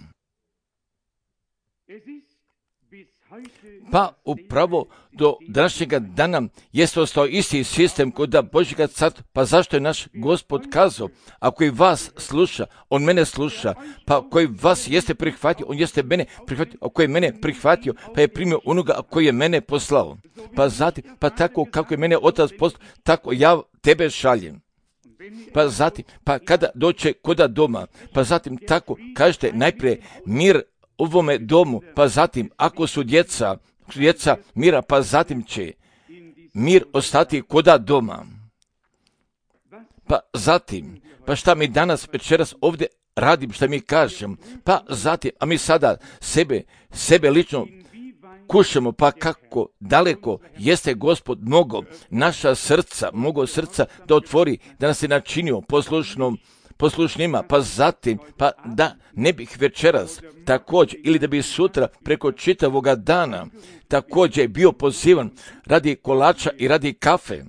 Pa upravo do današnjega dana jeste ostao isti sistem kod Božjega carstva. Pa zašto je naš Gospod kazao, ako i vas sluša, on mene sluša, pa koji vas jeste prihvatio, on jeste mene prihvatio, ako je mene prihvatio, pa je primio onoga koji je mene poslao. Pa zatim, pa tako kako je mene Otac poslao, tako ja tebe šaljem. Pa zatim, pa kada doće koda doma, pa zatim tako kažete najprije mir ovome domu, pa zatim ako su djeca mira, pa zatim će mir ostati koda doma. Pa zatim, pa šta mi danas večeras ovdje radim, šta mi kažem, pa zatim, a mi sada sebe lično kušamo, pa kako daleko jeste Gospod naša srca da otvori, da nas je načinio poslušnima, pa zatim, pa da ne bih večeras također, ili da bi sutra preko čitavoga dana također bio pozivan radi kolača i radi kafe.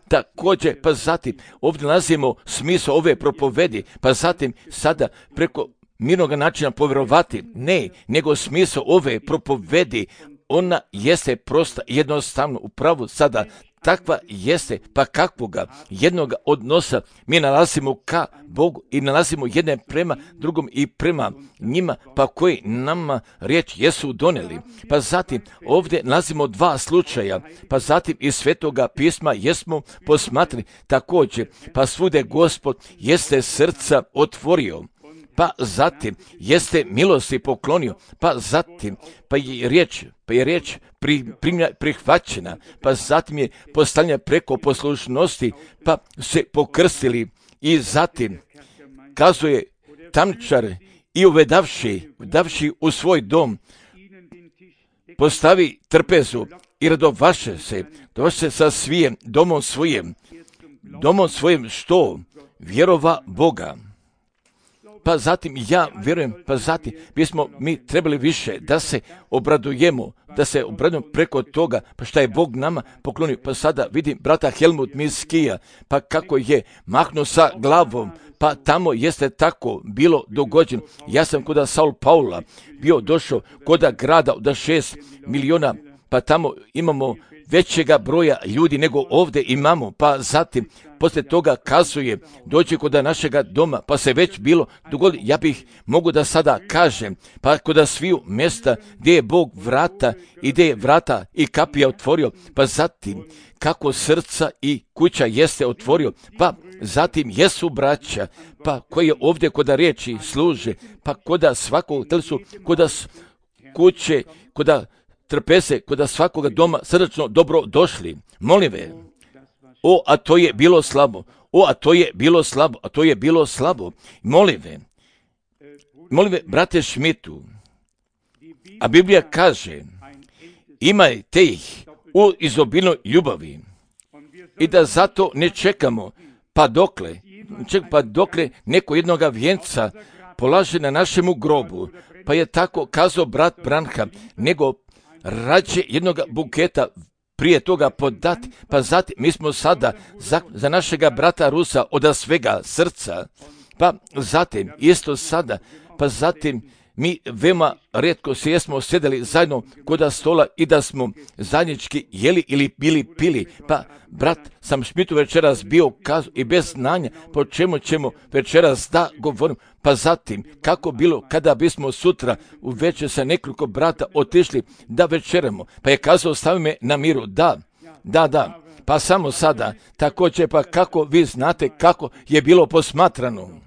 Također, pa zatim, ovdje nalazimo smisao ove propovedi, pa zatim sada preko mirnog načina povjerovati, ne, nego smisao ove propovedi, ona jeste prosta, jednostavno, upravo sada takva jeste, pa kakvoga jednoga odnosa mi nalazimo ka Bogu i nalazimo jedne prema drugom i prema njima, pa koji nama riječ jesu donijeli. Pa zatim ovdje nalazimo dva slučaja, pa zatim iz Svetoga pisma jesmo posmatrali također, pa svude Gospod jeste srca otvorio, pa zatim jeste milosti poklonio, pa zatim pa je riječ prihvaćena, pa zatim je postavljena preko poslušnosti, pa se pokrstili i zatim kazuje tamničar i uvedavši u svoj dom, postavi trpezu i radovaše se sa svijem domom svojim što vjerova Boga. Pa zatim ja vjerujem, pa zatim bismo mi trebali više da se obradujemo preko toga, pa šta je Bog nama poklonio. Pa sada vidim brata Helmut Miskija, pa kako je mahnuo sa glavom, pa tamo jeste tako bilo dogođeno. Ja sam kod Saul Paula bio došao kod grada od 6 miliona pa tamo imamo većega broja ljudi nego ovdje imamo, pa zatim poslije toga kazuje, dođe kod našega doma, pa se već bilo dogodi, ja bih mogu da sada kažem, pa kod sviju mjesta gdje je Bog vrata i gdje je vrata i kapija otvorio, pa zatim kako srca i kuća jeste otvorio, pa zatim jesu braća, pa koji je ovdje kod riječi služe, pa kod svakog telesu, kod kuće, kod trpese, kod svakoga doma srdačno dobro došli. Molim ve, a to je bilo slabo, a to je bilo slabo, a to je bilo slabo. Molim ve, brate Šmitu, a Biblija kaže, imajte ih u izobilnoj ljubavi i da zato ne čekamo, pa dokle neko jednoga vjenca polaže na našemu grobu, pa je tako kazao brat Branham, nego rađe jednog buketa prije toga podati, pa zatim mi smo sada za našega brata Rusa od svega srca, pa zatim isto sada, pa zatim mi veoma rijetko se jesmo sjedeli zajedno kod stola i da smo zajednički jeli ili pili, pa brat sam Šmitu večeras bio kazu i bez znanja po čemu ćemo večeras da govorim, pa zatim kako bilo kada bismo sutra u večer sa nekoliko brata otišli da večeramo, pa je kazao stavi me na miru, da, pa samo sada, također pa kako vi znate kako je bilo posmatrano.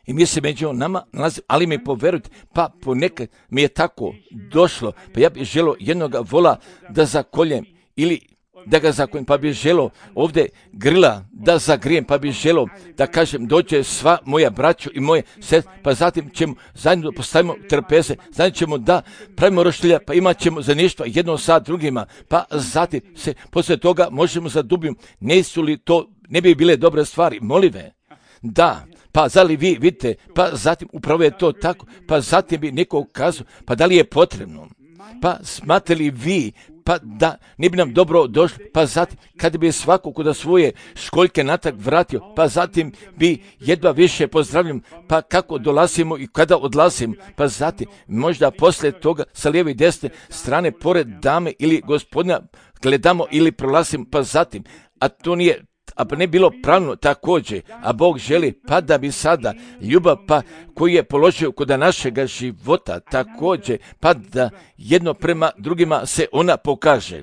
I mi se među nama nalazimo, ali mi poverujte, pa ponekad mi je tako došlo, pa ja bih želio jednoga vola da zakoljem ili da ga zakoljem, pa bih želio ovdje grila da zagrijem, pa bih želio da kažem dođe sva moja braću i moje sestre, pa zatim ćemo zajedno postavimo trpeze, zajedno ćemo da pravimo roštilja, pa imat ćemo zajedništva jedno sa drugima, pa zatim se poslije toga možemo zadubiti, ne bi bile dobre stvari, molive, da. Pa da li vi vidite, pa zatim upravo je to tako, pa zatim bi neko ukazao, pa da li je potrebno, pa smatrate li vi, pa da ne bi nam dobro došlo, pa zatim kad bi svako kod svoje školjke natrag vratio, pa zatim bi jedva više pozdravljam, pa kako dolazimo i kada odlazimo, pa zatim možda poslije toga sa lijeve i desne strane pored dame ili gospodina gledamo ili prolazimo, pa zatim, a to nije pa ne bilo pravno također, a Bog želi pa da bi sada ljubav pa koju je položio kod našega života također, pa da jedno prema drugima se ona pokaže.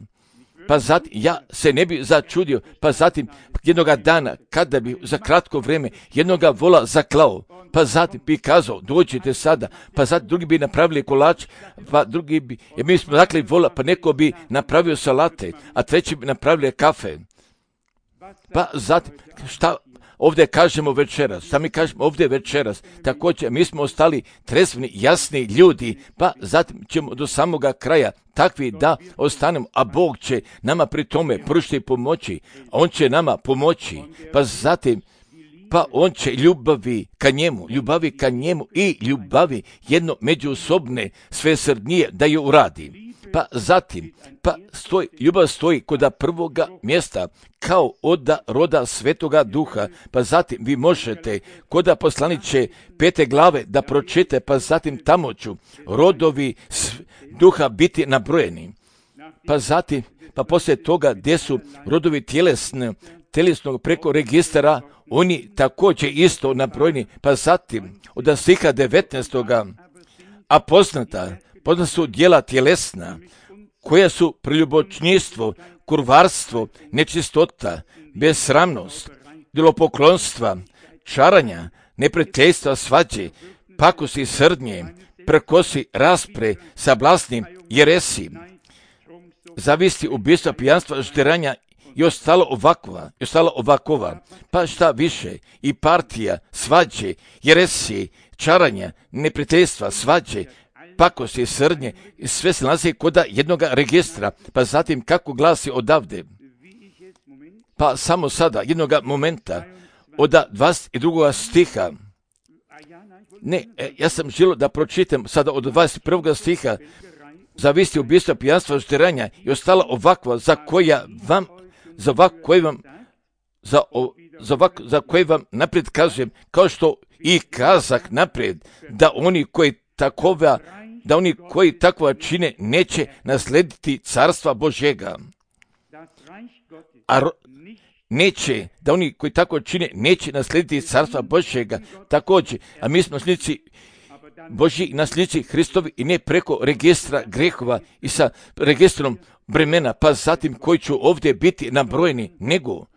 Pa zatim ja se ne bi začudio, pa zatim jednoga dana kada bi za kratko vrijeme jednoga vola zaklao, pa zatim bi kazao dođite sada, pa zatim drugi bi napravili kolač, pa drugi bi, jer mi smo zakli vola, pa neko bi napravio salate, a treći bi napravili kafe. Pa zatim, šta ovdje kažemo večeras? Šta mi kažemo ovdje večeras? Također, mi smo ostali tresveni, jasni ljudi, pa zatim ćemo do samoga kraja takvi da ostanemo, a Bog će nama pri tome pružiti pomoći, a On će nama pomoći, pa zatim, pa On će ljubavi ka njemu i ljubavi jedno međusobne svesrdnije da ju uradi. Pa zatim, ljubav stoji kod prvoga mjesta kao od roda Svetoga Duha, pa zatim vi možete kod poslaniće 5. glave da pročite, pa zatim tamo ću rodovi duha biti nabrojeni. Pa zatim, pa poslije toga gdje su rodovi tjelesnog preko registara, oni također isto nabrojeni, pa zatim od stiha 19. a poznata su djela tjelesna, koja su preljubočništvo, kurvarstvo, nečistota, besramnost, idolopoklonstva, čaranja, neprijateljstva, svađe, pakosti, srdnje, prkosi, raspre, sablasni, jeresi, zavisti, ubistva, pijanstva, žderanja i ostalo ovakova, pa šta više, i partija, svađe, jeresi, čaranja, neprijateljstva, svađe, pakosti, srdnje, sve se nalazi kod jednoga registra, pa zatim kako glasi odavde. Pa samo sada, jednoga momenta, od 22. stiha, ja sam želio da pročitam sada od 21. stiha, zavisti, ubistva, pijanstva, žderanja i ostala ovakva, za koje vam naprijed kažem, kao što i kazak naprijed, da oni koji takova da oni koji takva čine neće naslediti carstva Božjega. Neće, da oni koji tako čine neće naslediti carstva Božjega također, a mi smo nasljednici Božji i nasljednici Hristovi i ne preko registra grehova i sa registrom bremena, pa zatim koji će ovdje biti nabrojeni,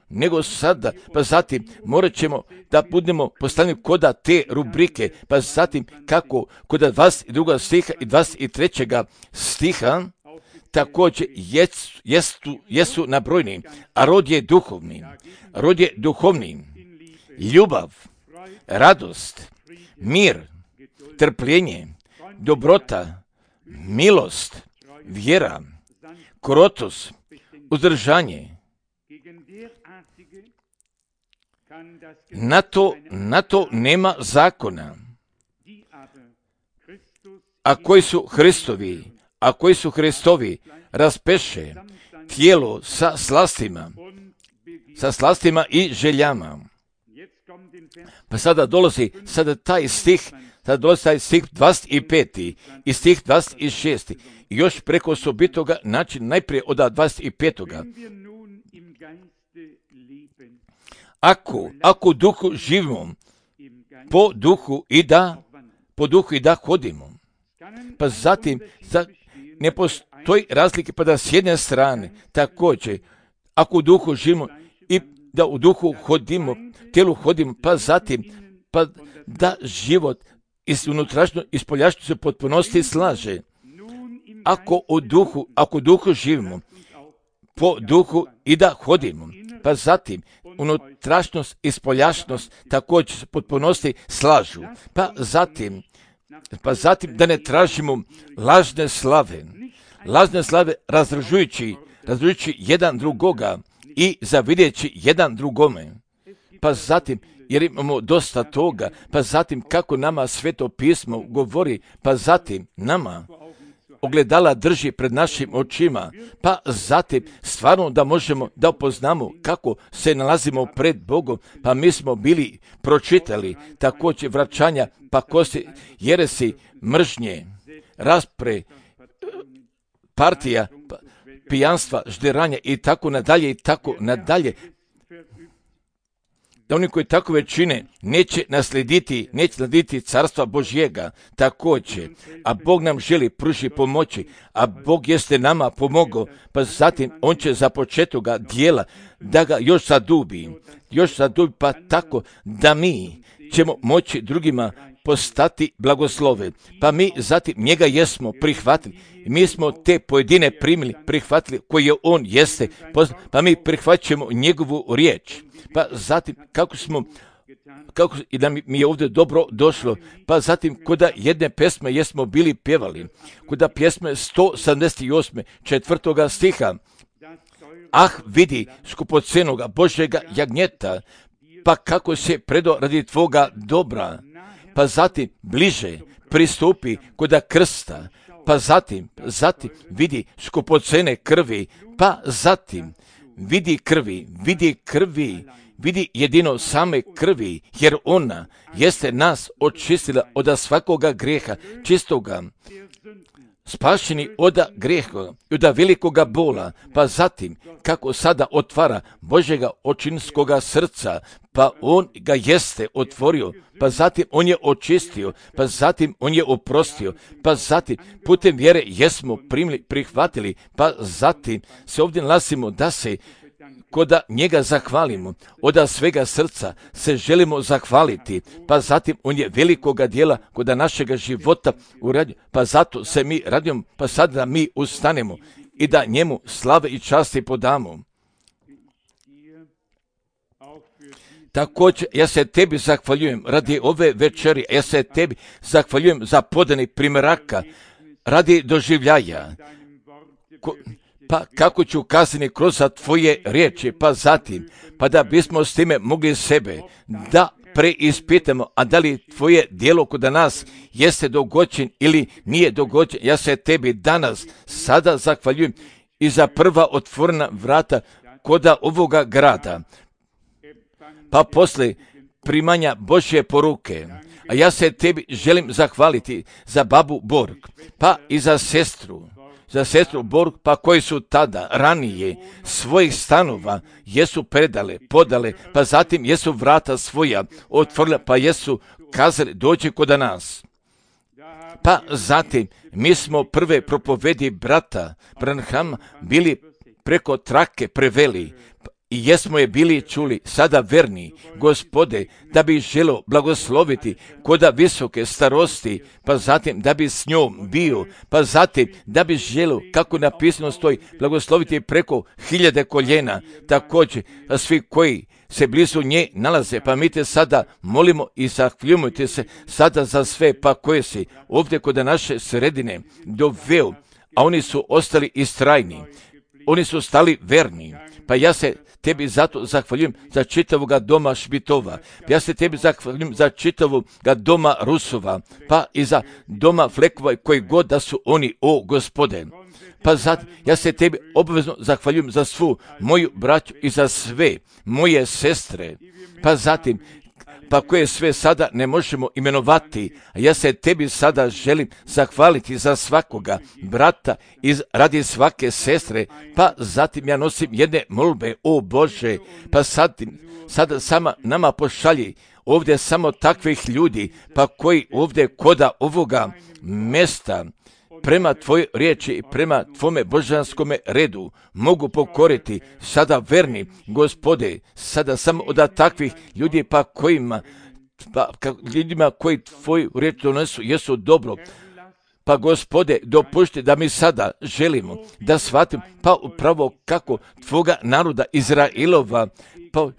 nego sada, pa zatim morat ćemo da budemo postavljeni koda te rubrike, pa zatim kako kod 22. stiha i 23. stiha također jesu nabrojeni, a rod je duhovni, ljubav, radost, mir, trpljenje, dobrota, milost, vjera, krotost, uzdržanje. Na to nema zakona. A koji su Hristovi raspeše tijelo sa slastima i željama. Pa sada dolazi taj stih 25. i stih 26. I još preko osobitoga način najprije od 25. Ako duhu živimo, po duhu i da hodimo. Pa zatim ne postoji razlike, pa da s jedne strane također, ako u duhu živimo i da u duhu hodimo, tijelu hodimo, pa zatim pa da život iz unutrašnjo i spoljašnjo se potpunosti slaže. Ako u duhu živimo, po duhu i da hodimo, pa zatim unutrašnjost i spoljašnost također se potpunosti slažu. Pa zatim da ne tražimo lažne slave razražujući jedan drugoga i zavidjeći jedan drugome. Pa zatim, jer imamo dosta toga, pa zatim kako nama Sveto pismo govori, pa zatim nama ogledala drži pred našim očima, pa zatim stvarno da možemo da upoznamo kako se nalazimo pred Bogom, pa mi smo bili pročitali također vraćanja, pa kosi, jeresi, mržnje, raspre, partija, pijanstva, žderanja i tako nadalje. Da oni koji takove čine neće naslediti carstva Božjega također, a Bog nam želi pruži pomoći, a Bog jeste nama pomogao, pa zatim on će za početoga dijela da ga još zadubi, pa tako da mi ćemo moći drugima postati blagoslove. Pa mi zatim njega jesmo prihvatili. Mi smo te pojedine prihvatili koje on jeste, pa mi prihvaćamo njegovu riječ. Pa zatim kako i da mi je ovdje dobro došlo, pa zatim koda jedne pesme jesmo bili pjevali, koda pjesme 178. 4. stiha. Ah, vidi skupocenoga Božjega jagnjeta, pa kako se predo radi tvoga dobra, pa zatim bliže pristupi koda krsta, pa zatim vidi skupocene krvi, pa zatim vidi jedino same krvi, jer ona jeste nas očistila od svakoga grijeha čistoga, spašeni od grijeha i od velikoga bola, pa zatim kako sada otvara Božjega očinskoga srca, pa on ga jeste otvorio, pa zatim on je očistio, pa zatim on je oprostio, pa zatim putem vjere jesmo prihvatili, pa zatim se ovdje nalazimo da se koda njega zahvalimo, od svega srca se želimo zahvaliti, pa zatim on je velikoga dijela koda našega života uradio, pa zato se mi radimo, pa sad da mi ustanemo i da njemu slave i časti podamo. Također, ja se tebi zahvaljujem radi ove večeri, ja se tebi zahvaljujem za podani primjeraka, radi doživljaja, pa kako ću kazati kroz tvoje riječi, pa zatim, pa da bismo s time mogli sebe da preispitamo, a da li tvoje djelo kod nas jeste dogođen ili nije dogođen. Ja se tebi danas sada zahvaljujem i za prva otvorena vrata koda ovoga grada, pa posle primanja Božje poruke, A ja se tebi želim zahvaliti za babu Borg, pa i za sestru Borg, pa koji su tada, ranije, svojih stanova jesu podale, pa zatim jesu vrata svoja otvorila, pa jesu kazali dođi kod nas. Pa zatim mi smo prve propovedi brata Branhama bili preko trake preveli i jesmo je bili čuli, sada verni, Gospode, da bi želo blagosloviti koda visoke starosti, pa zatim da bi s njom bio, pa zatim da bi želo, kako napisano stoji, blagosloviti preko 1000 koljena, također, a svi koji se blizu nje nalaze, pa mi te sada molimo i zahvaljujemo se sada za sve, pa koje si ovdje kod naše sredine doveo, a oni su ostali istrajni, oni su stali verni, pa ja se tebi zato zahvaljujem za čitavoga doma Šmitova, ja se tebi zahvaljujem za čitavoga doma Rusova, pa i za doma Flekova koji god da su oni, o Gospode. Pa zatim, ja se tebi obavezno zahvaljujem za svu moju braću i za sve moje sestre, pa zatim, pa koje sve sada ne možemo imenovati, a ja se tebi sada želim zahvaliti za svakoga brata i radi svake sestre, pa zatim ja nosim jedne molbe, o Bože, pa sada sama nama pošalji ovdje samo takvih ljudi, pa koji ovdje koda ovoga mjesta prema tvojoj riječi i prema tvome božanskome redu mogu pokoriti sada verni, Gospode, sada samo od takvih ljudi pa kojima, ljudima koji tvoju riječ donesu jesu dobro. Pa Gospode, dopušti da mi sada želimo da shvatim pa upravo kako tvoga naroda Izrailova pa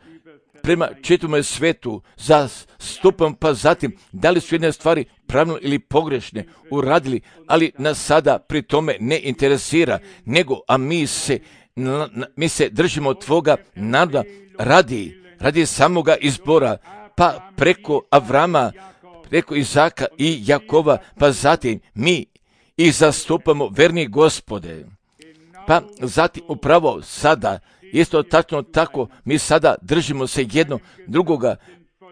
prema čitavome svetu zastupam, pa zatim da li su jedne stvari pravilno ili pogrešne uradili, ali nas sada pri tome ne interesira, nego a mi se držimo tvoga naroda radi samoga izbora, pa preko Avrama, preko Izaka i Jakova, pa zatim mi ih zastupamo, verni Gospode. Pa zatim upravo sada, isto tačno tako, mi sada držimo se jedno drugoga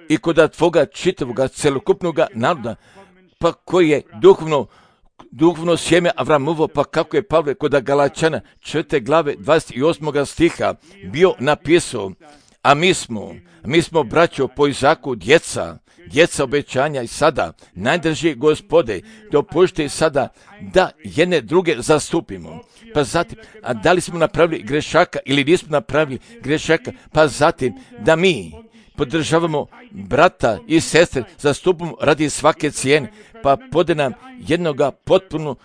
i kod tvoga čitavoga celokupnoga naroda, pa koji je duhovno sjeme Avramovo, pa kako je Pavle kod Galačana 4. glave 28. stiha bio napisao, a mi smo braćo po Izaku djeca obećanja i sada, najdrži Gospode, dopušti sada da jedne druge zastupimo. Pa zatim, a da li smo napravili grešaka ili nismo napravili grešaka, pa zatim da mi podržavamo brata i sestre, zastupimo radi svake cijene, pa pode nam jednoga potpuno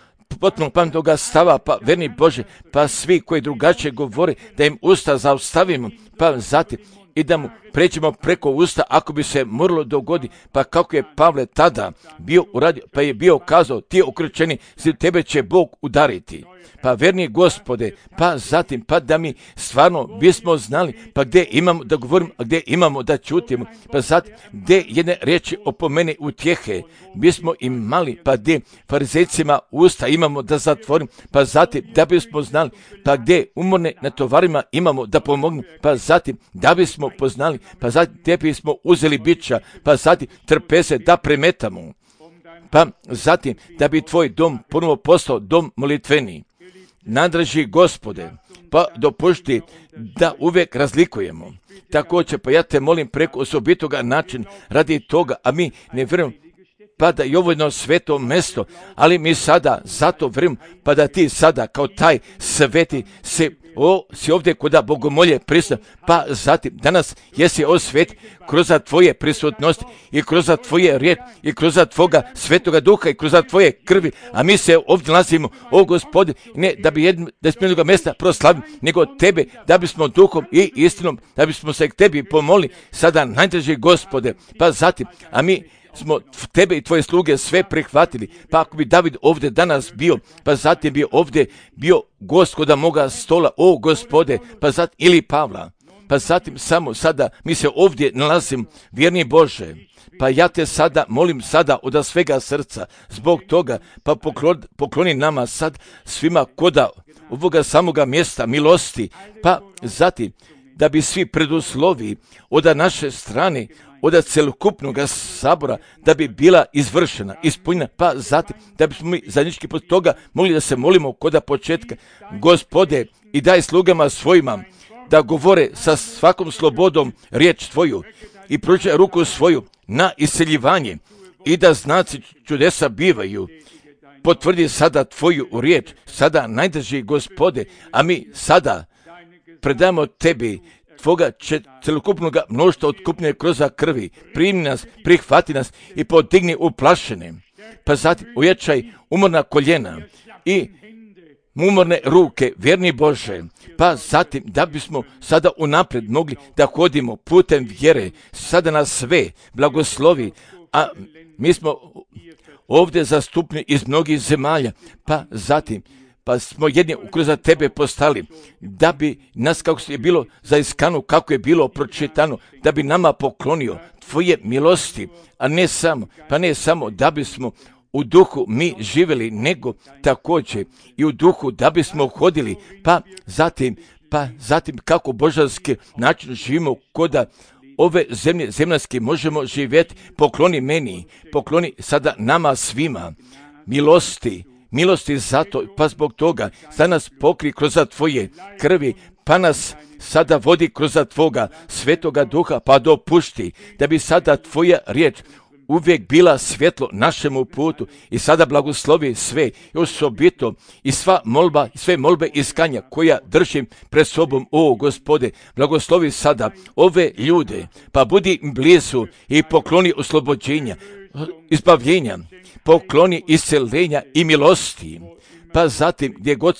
pametnoga stava, pa verni Bože, pa svi koji drugačije govore, da im usta zaustavimo, pa zatim i da mu pređemo preko usta ako bi se moralo dogodi, pa kako je Pavle tada bio uradio, pa je bio kazao, ti ukrčeni, tebe će Bog udariti. Pa verni Gospode, pa zatim, pa da mi stvarno bismo znali, pa gdje imamo da govorimo, a gdje imamo da čutimo, pa zatim, gdje jedne riječi opomene utjehe, bismo imali, pa gdje farizejcima usta imamo da zatvorimo, pa zatim, da bismo znali, pa gdje umorne na tovarima imamo da pomognemo, pa zatim, da bismo poznali, pa zatim, gdje bismo uzeli bića, pa zatim, trpeze da premetamo, pa zatim, da bi tvoj dom ponovo postao dom molitveni. Nadraži Gospode, pa dopušti da uvijek razlikujemo. Također, pa ja te molim preko osobitoga načina radi toga, a mi ne vjerujemo, pa da je ovo jedno sveto mjesto, ali mi sada zato vjerujemo, pa da ti sada kao taj sveti si ovdje kuda bogomolje prisutan, pa zatim danas jesi osvet kroz tvoje prisutnosti i kroz tvoje riječ i kroz tvoga svetoga duha i kroz tvoje krvi, a mi se ovdje nalazimo, o Gospodin, ne da bi da smo jednoga mjesta proslavili, nego tebe, da bismo duhom i istinom, da bismo se k tebi pomolili, sada najdraži Gospode, pa zatim, a mi smo tebe i tvoje sluge sve prihvatili, pa ako bi David ovdje danas bio, pa zatim bi ovdje bio gost kod moga stola, o Gospode, pa zatim ili Pavla, pa zatim samo sada mi se ovdje nalazim, vjerni Bože, pa ja te sada molim sada od svega srca, zbog toga, pa pokloni nama sad svima koda ovoga samoga mjesta milosti, pa zatim da bi svi preduslovi od naše strane od celokupnog sabora da bi bila izvršena, ispunjena, pa zatim da bismo mi zajednički pod toga mogli da se molimo kod početka. Gospode, i daj slugama svojima da govore sa svakom slobodom riječ Tvoju i pružaj ruku svoju na iseljivanje i da znaci čudesa bivaju. Potvrdi sada Tvoju riječ, sada najdrži Gospode, a mi sada predamo Tebi Tvoga celokupnog mnoštva otkupnje kroz krvi. Primi nas, prihvati nas i podigni uplašene. Pa zatim ujačaj umorna koljena i umorne ruke, vjerni Bože. Pa zatim da bismo sada unaprijed mogli da hodimo putem vjere, sada nas sve blagoslovi, a mi smo ovdje zastupni iz mnogih zemalja, pa zatim pa smo jedni kroz Tebe postali, da bi nas, kako je bilo zaiskano, kako je bilo pročitano, da bi nama poklonio Tvoje milosti, a ne samo da bismo u duhu mi živjeli, nego također i u duhu da bismo hodili, pa zatim kako božanski način živimo koda ove zemlje zemaljske možemo živjeti. Pokloni meni, pokloni sada nama svima milosti zato, pa zbog toga sada nas pokri kroz Tvoje krvi, pa nas sada vodi kroz Tvoga svetoga duha, pa dopušti da bi sada Tvoja riječ uvijek bila svjetlo našemu putu i sada blagoslovi sve i osobito i sve molbe iskanja koja držim pred sobom, o Gospode, blagoslovi sada ove ljude, pa budi blizu i pokloni oslobođenja, izbavljenja, pokloni isceljenja i milosti, pa zatim gdje god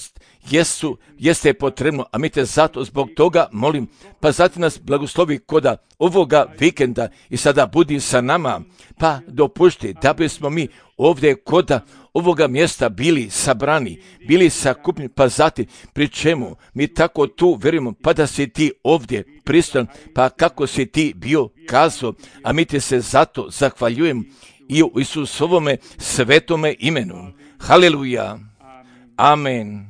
jeste potrebno, a mi te zato zbog toga molim, pa zatim nas blagoslovi koda ovoga vikenda i sada budi sa nama, pa dopušti da bismo mi ovdje koda ovoga mjesta bili sabrani, bili sakupni, pa zatim pri čemu mi tako tu verujemo, pa da si Ti ovdje prisutan, pa kako si Ti bio kazao, a mi te se zato zahvaljujem i u Isusovome svetome imenu. Haleluja. Amen.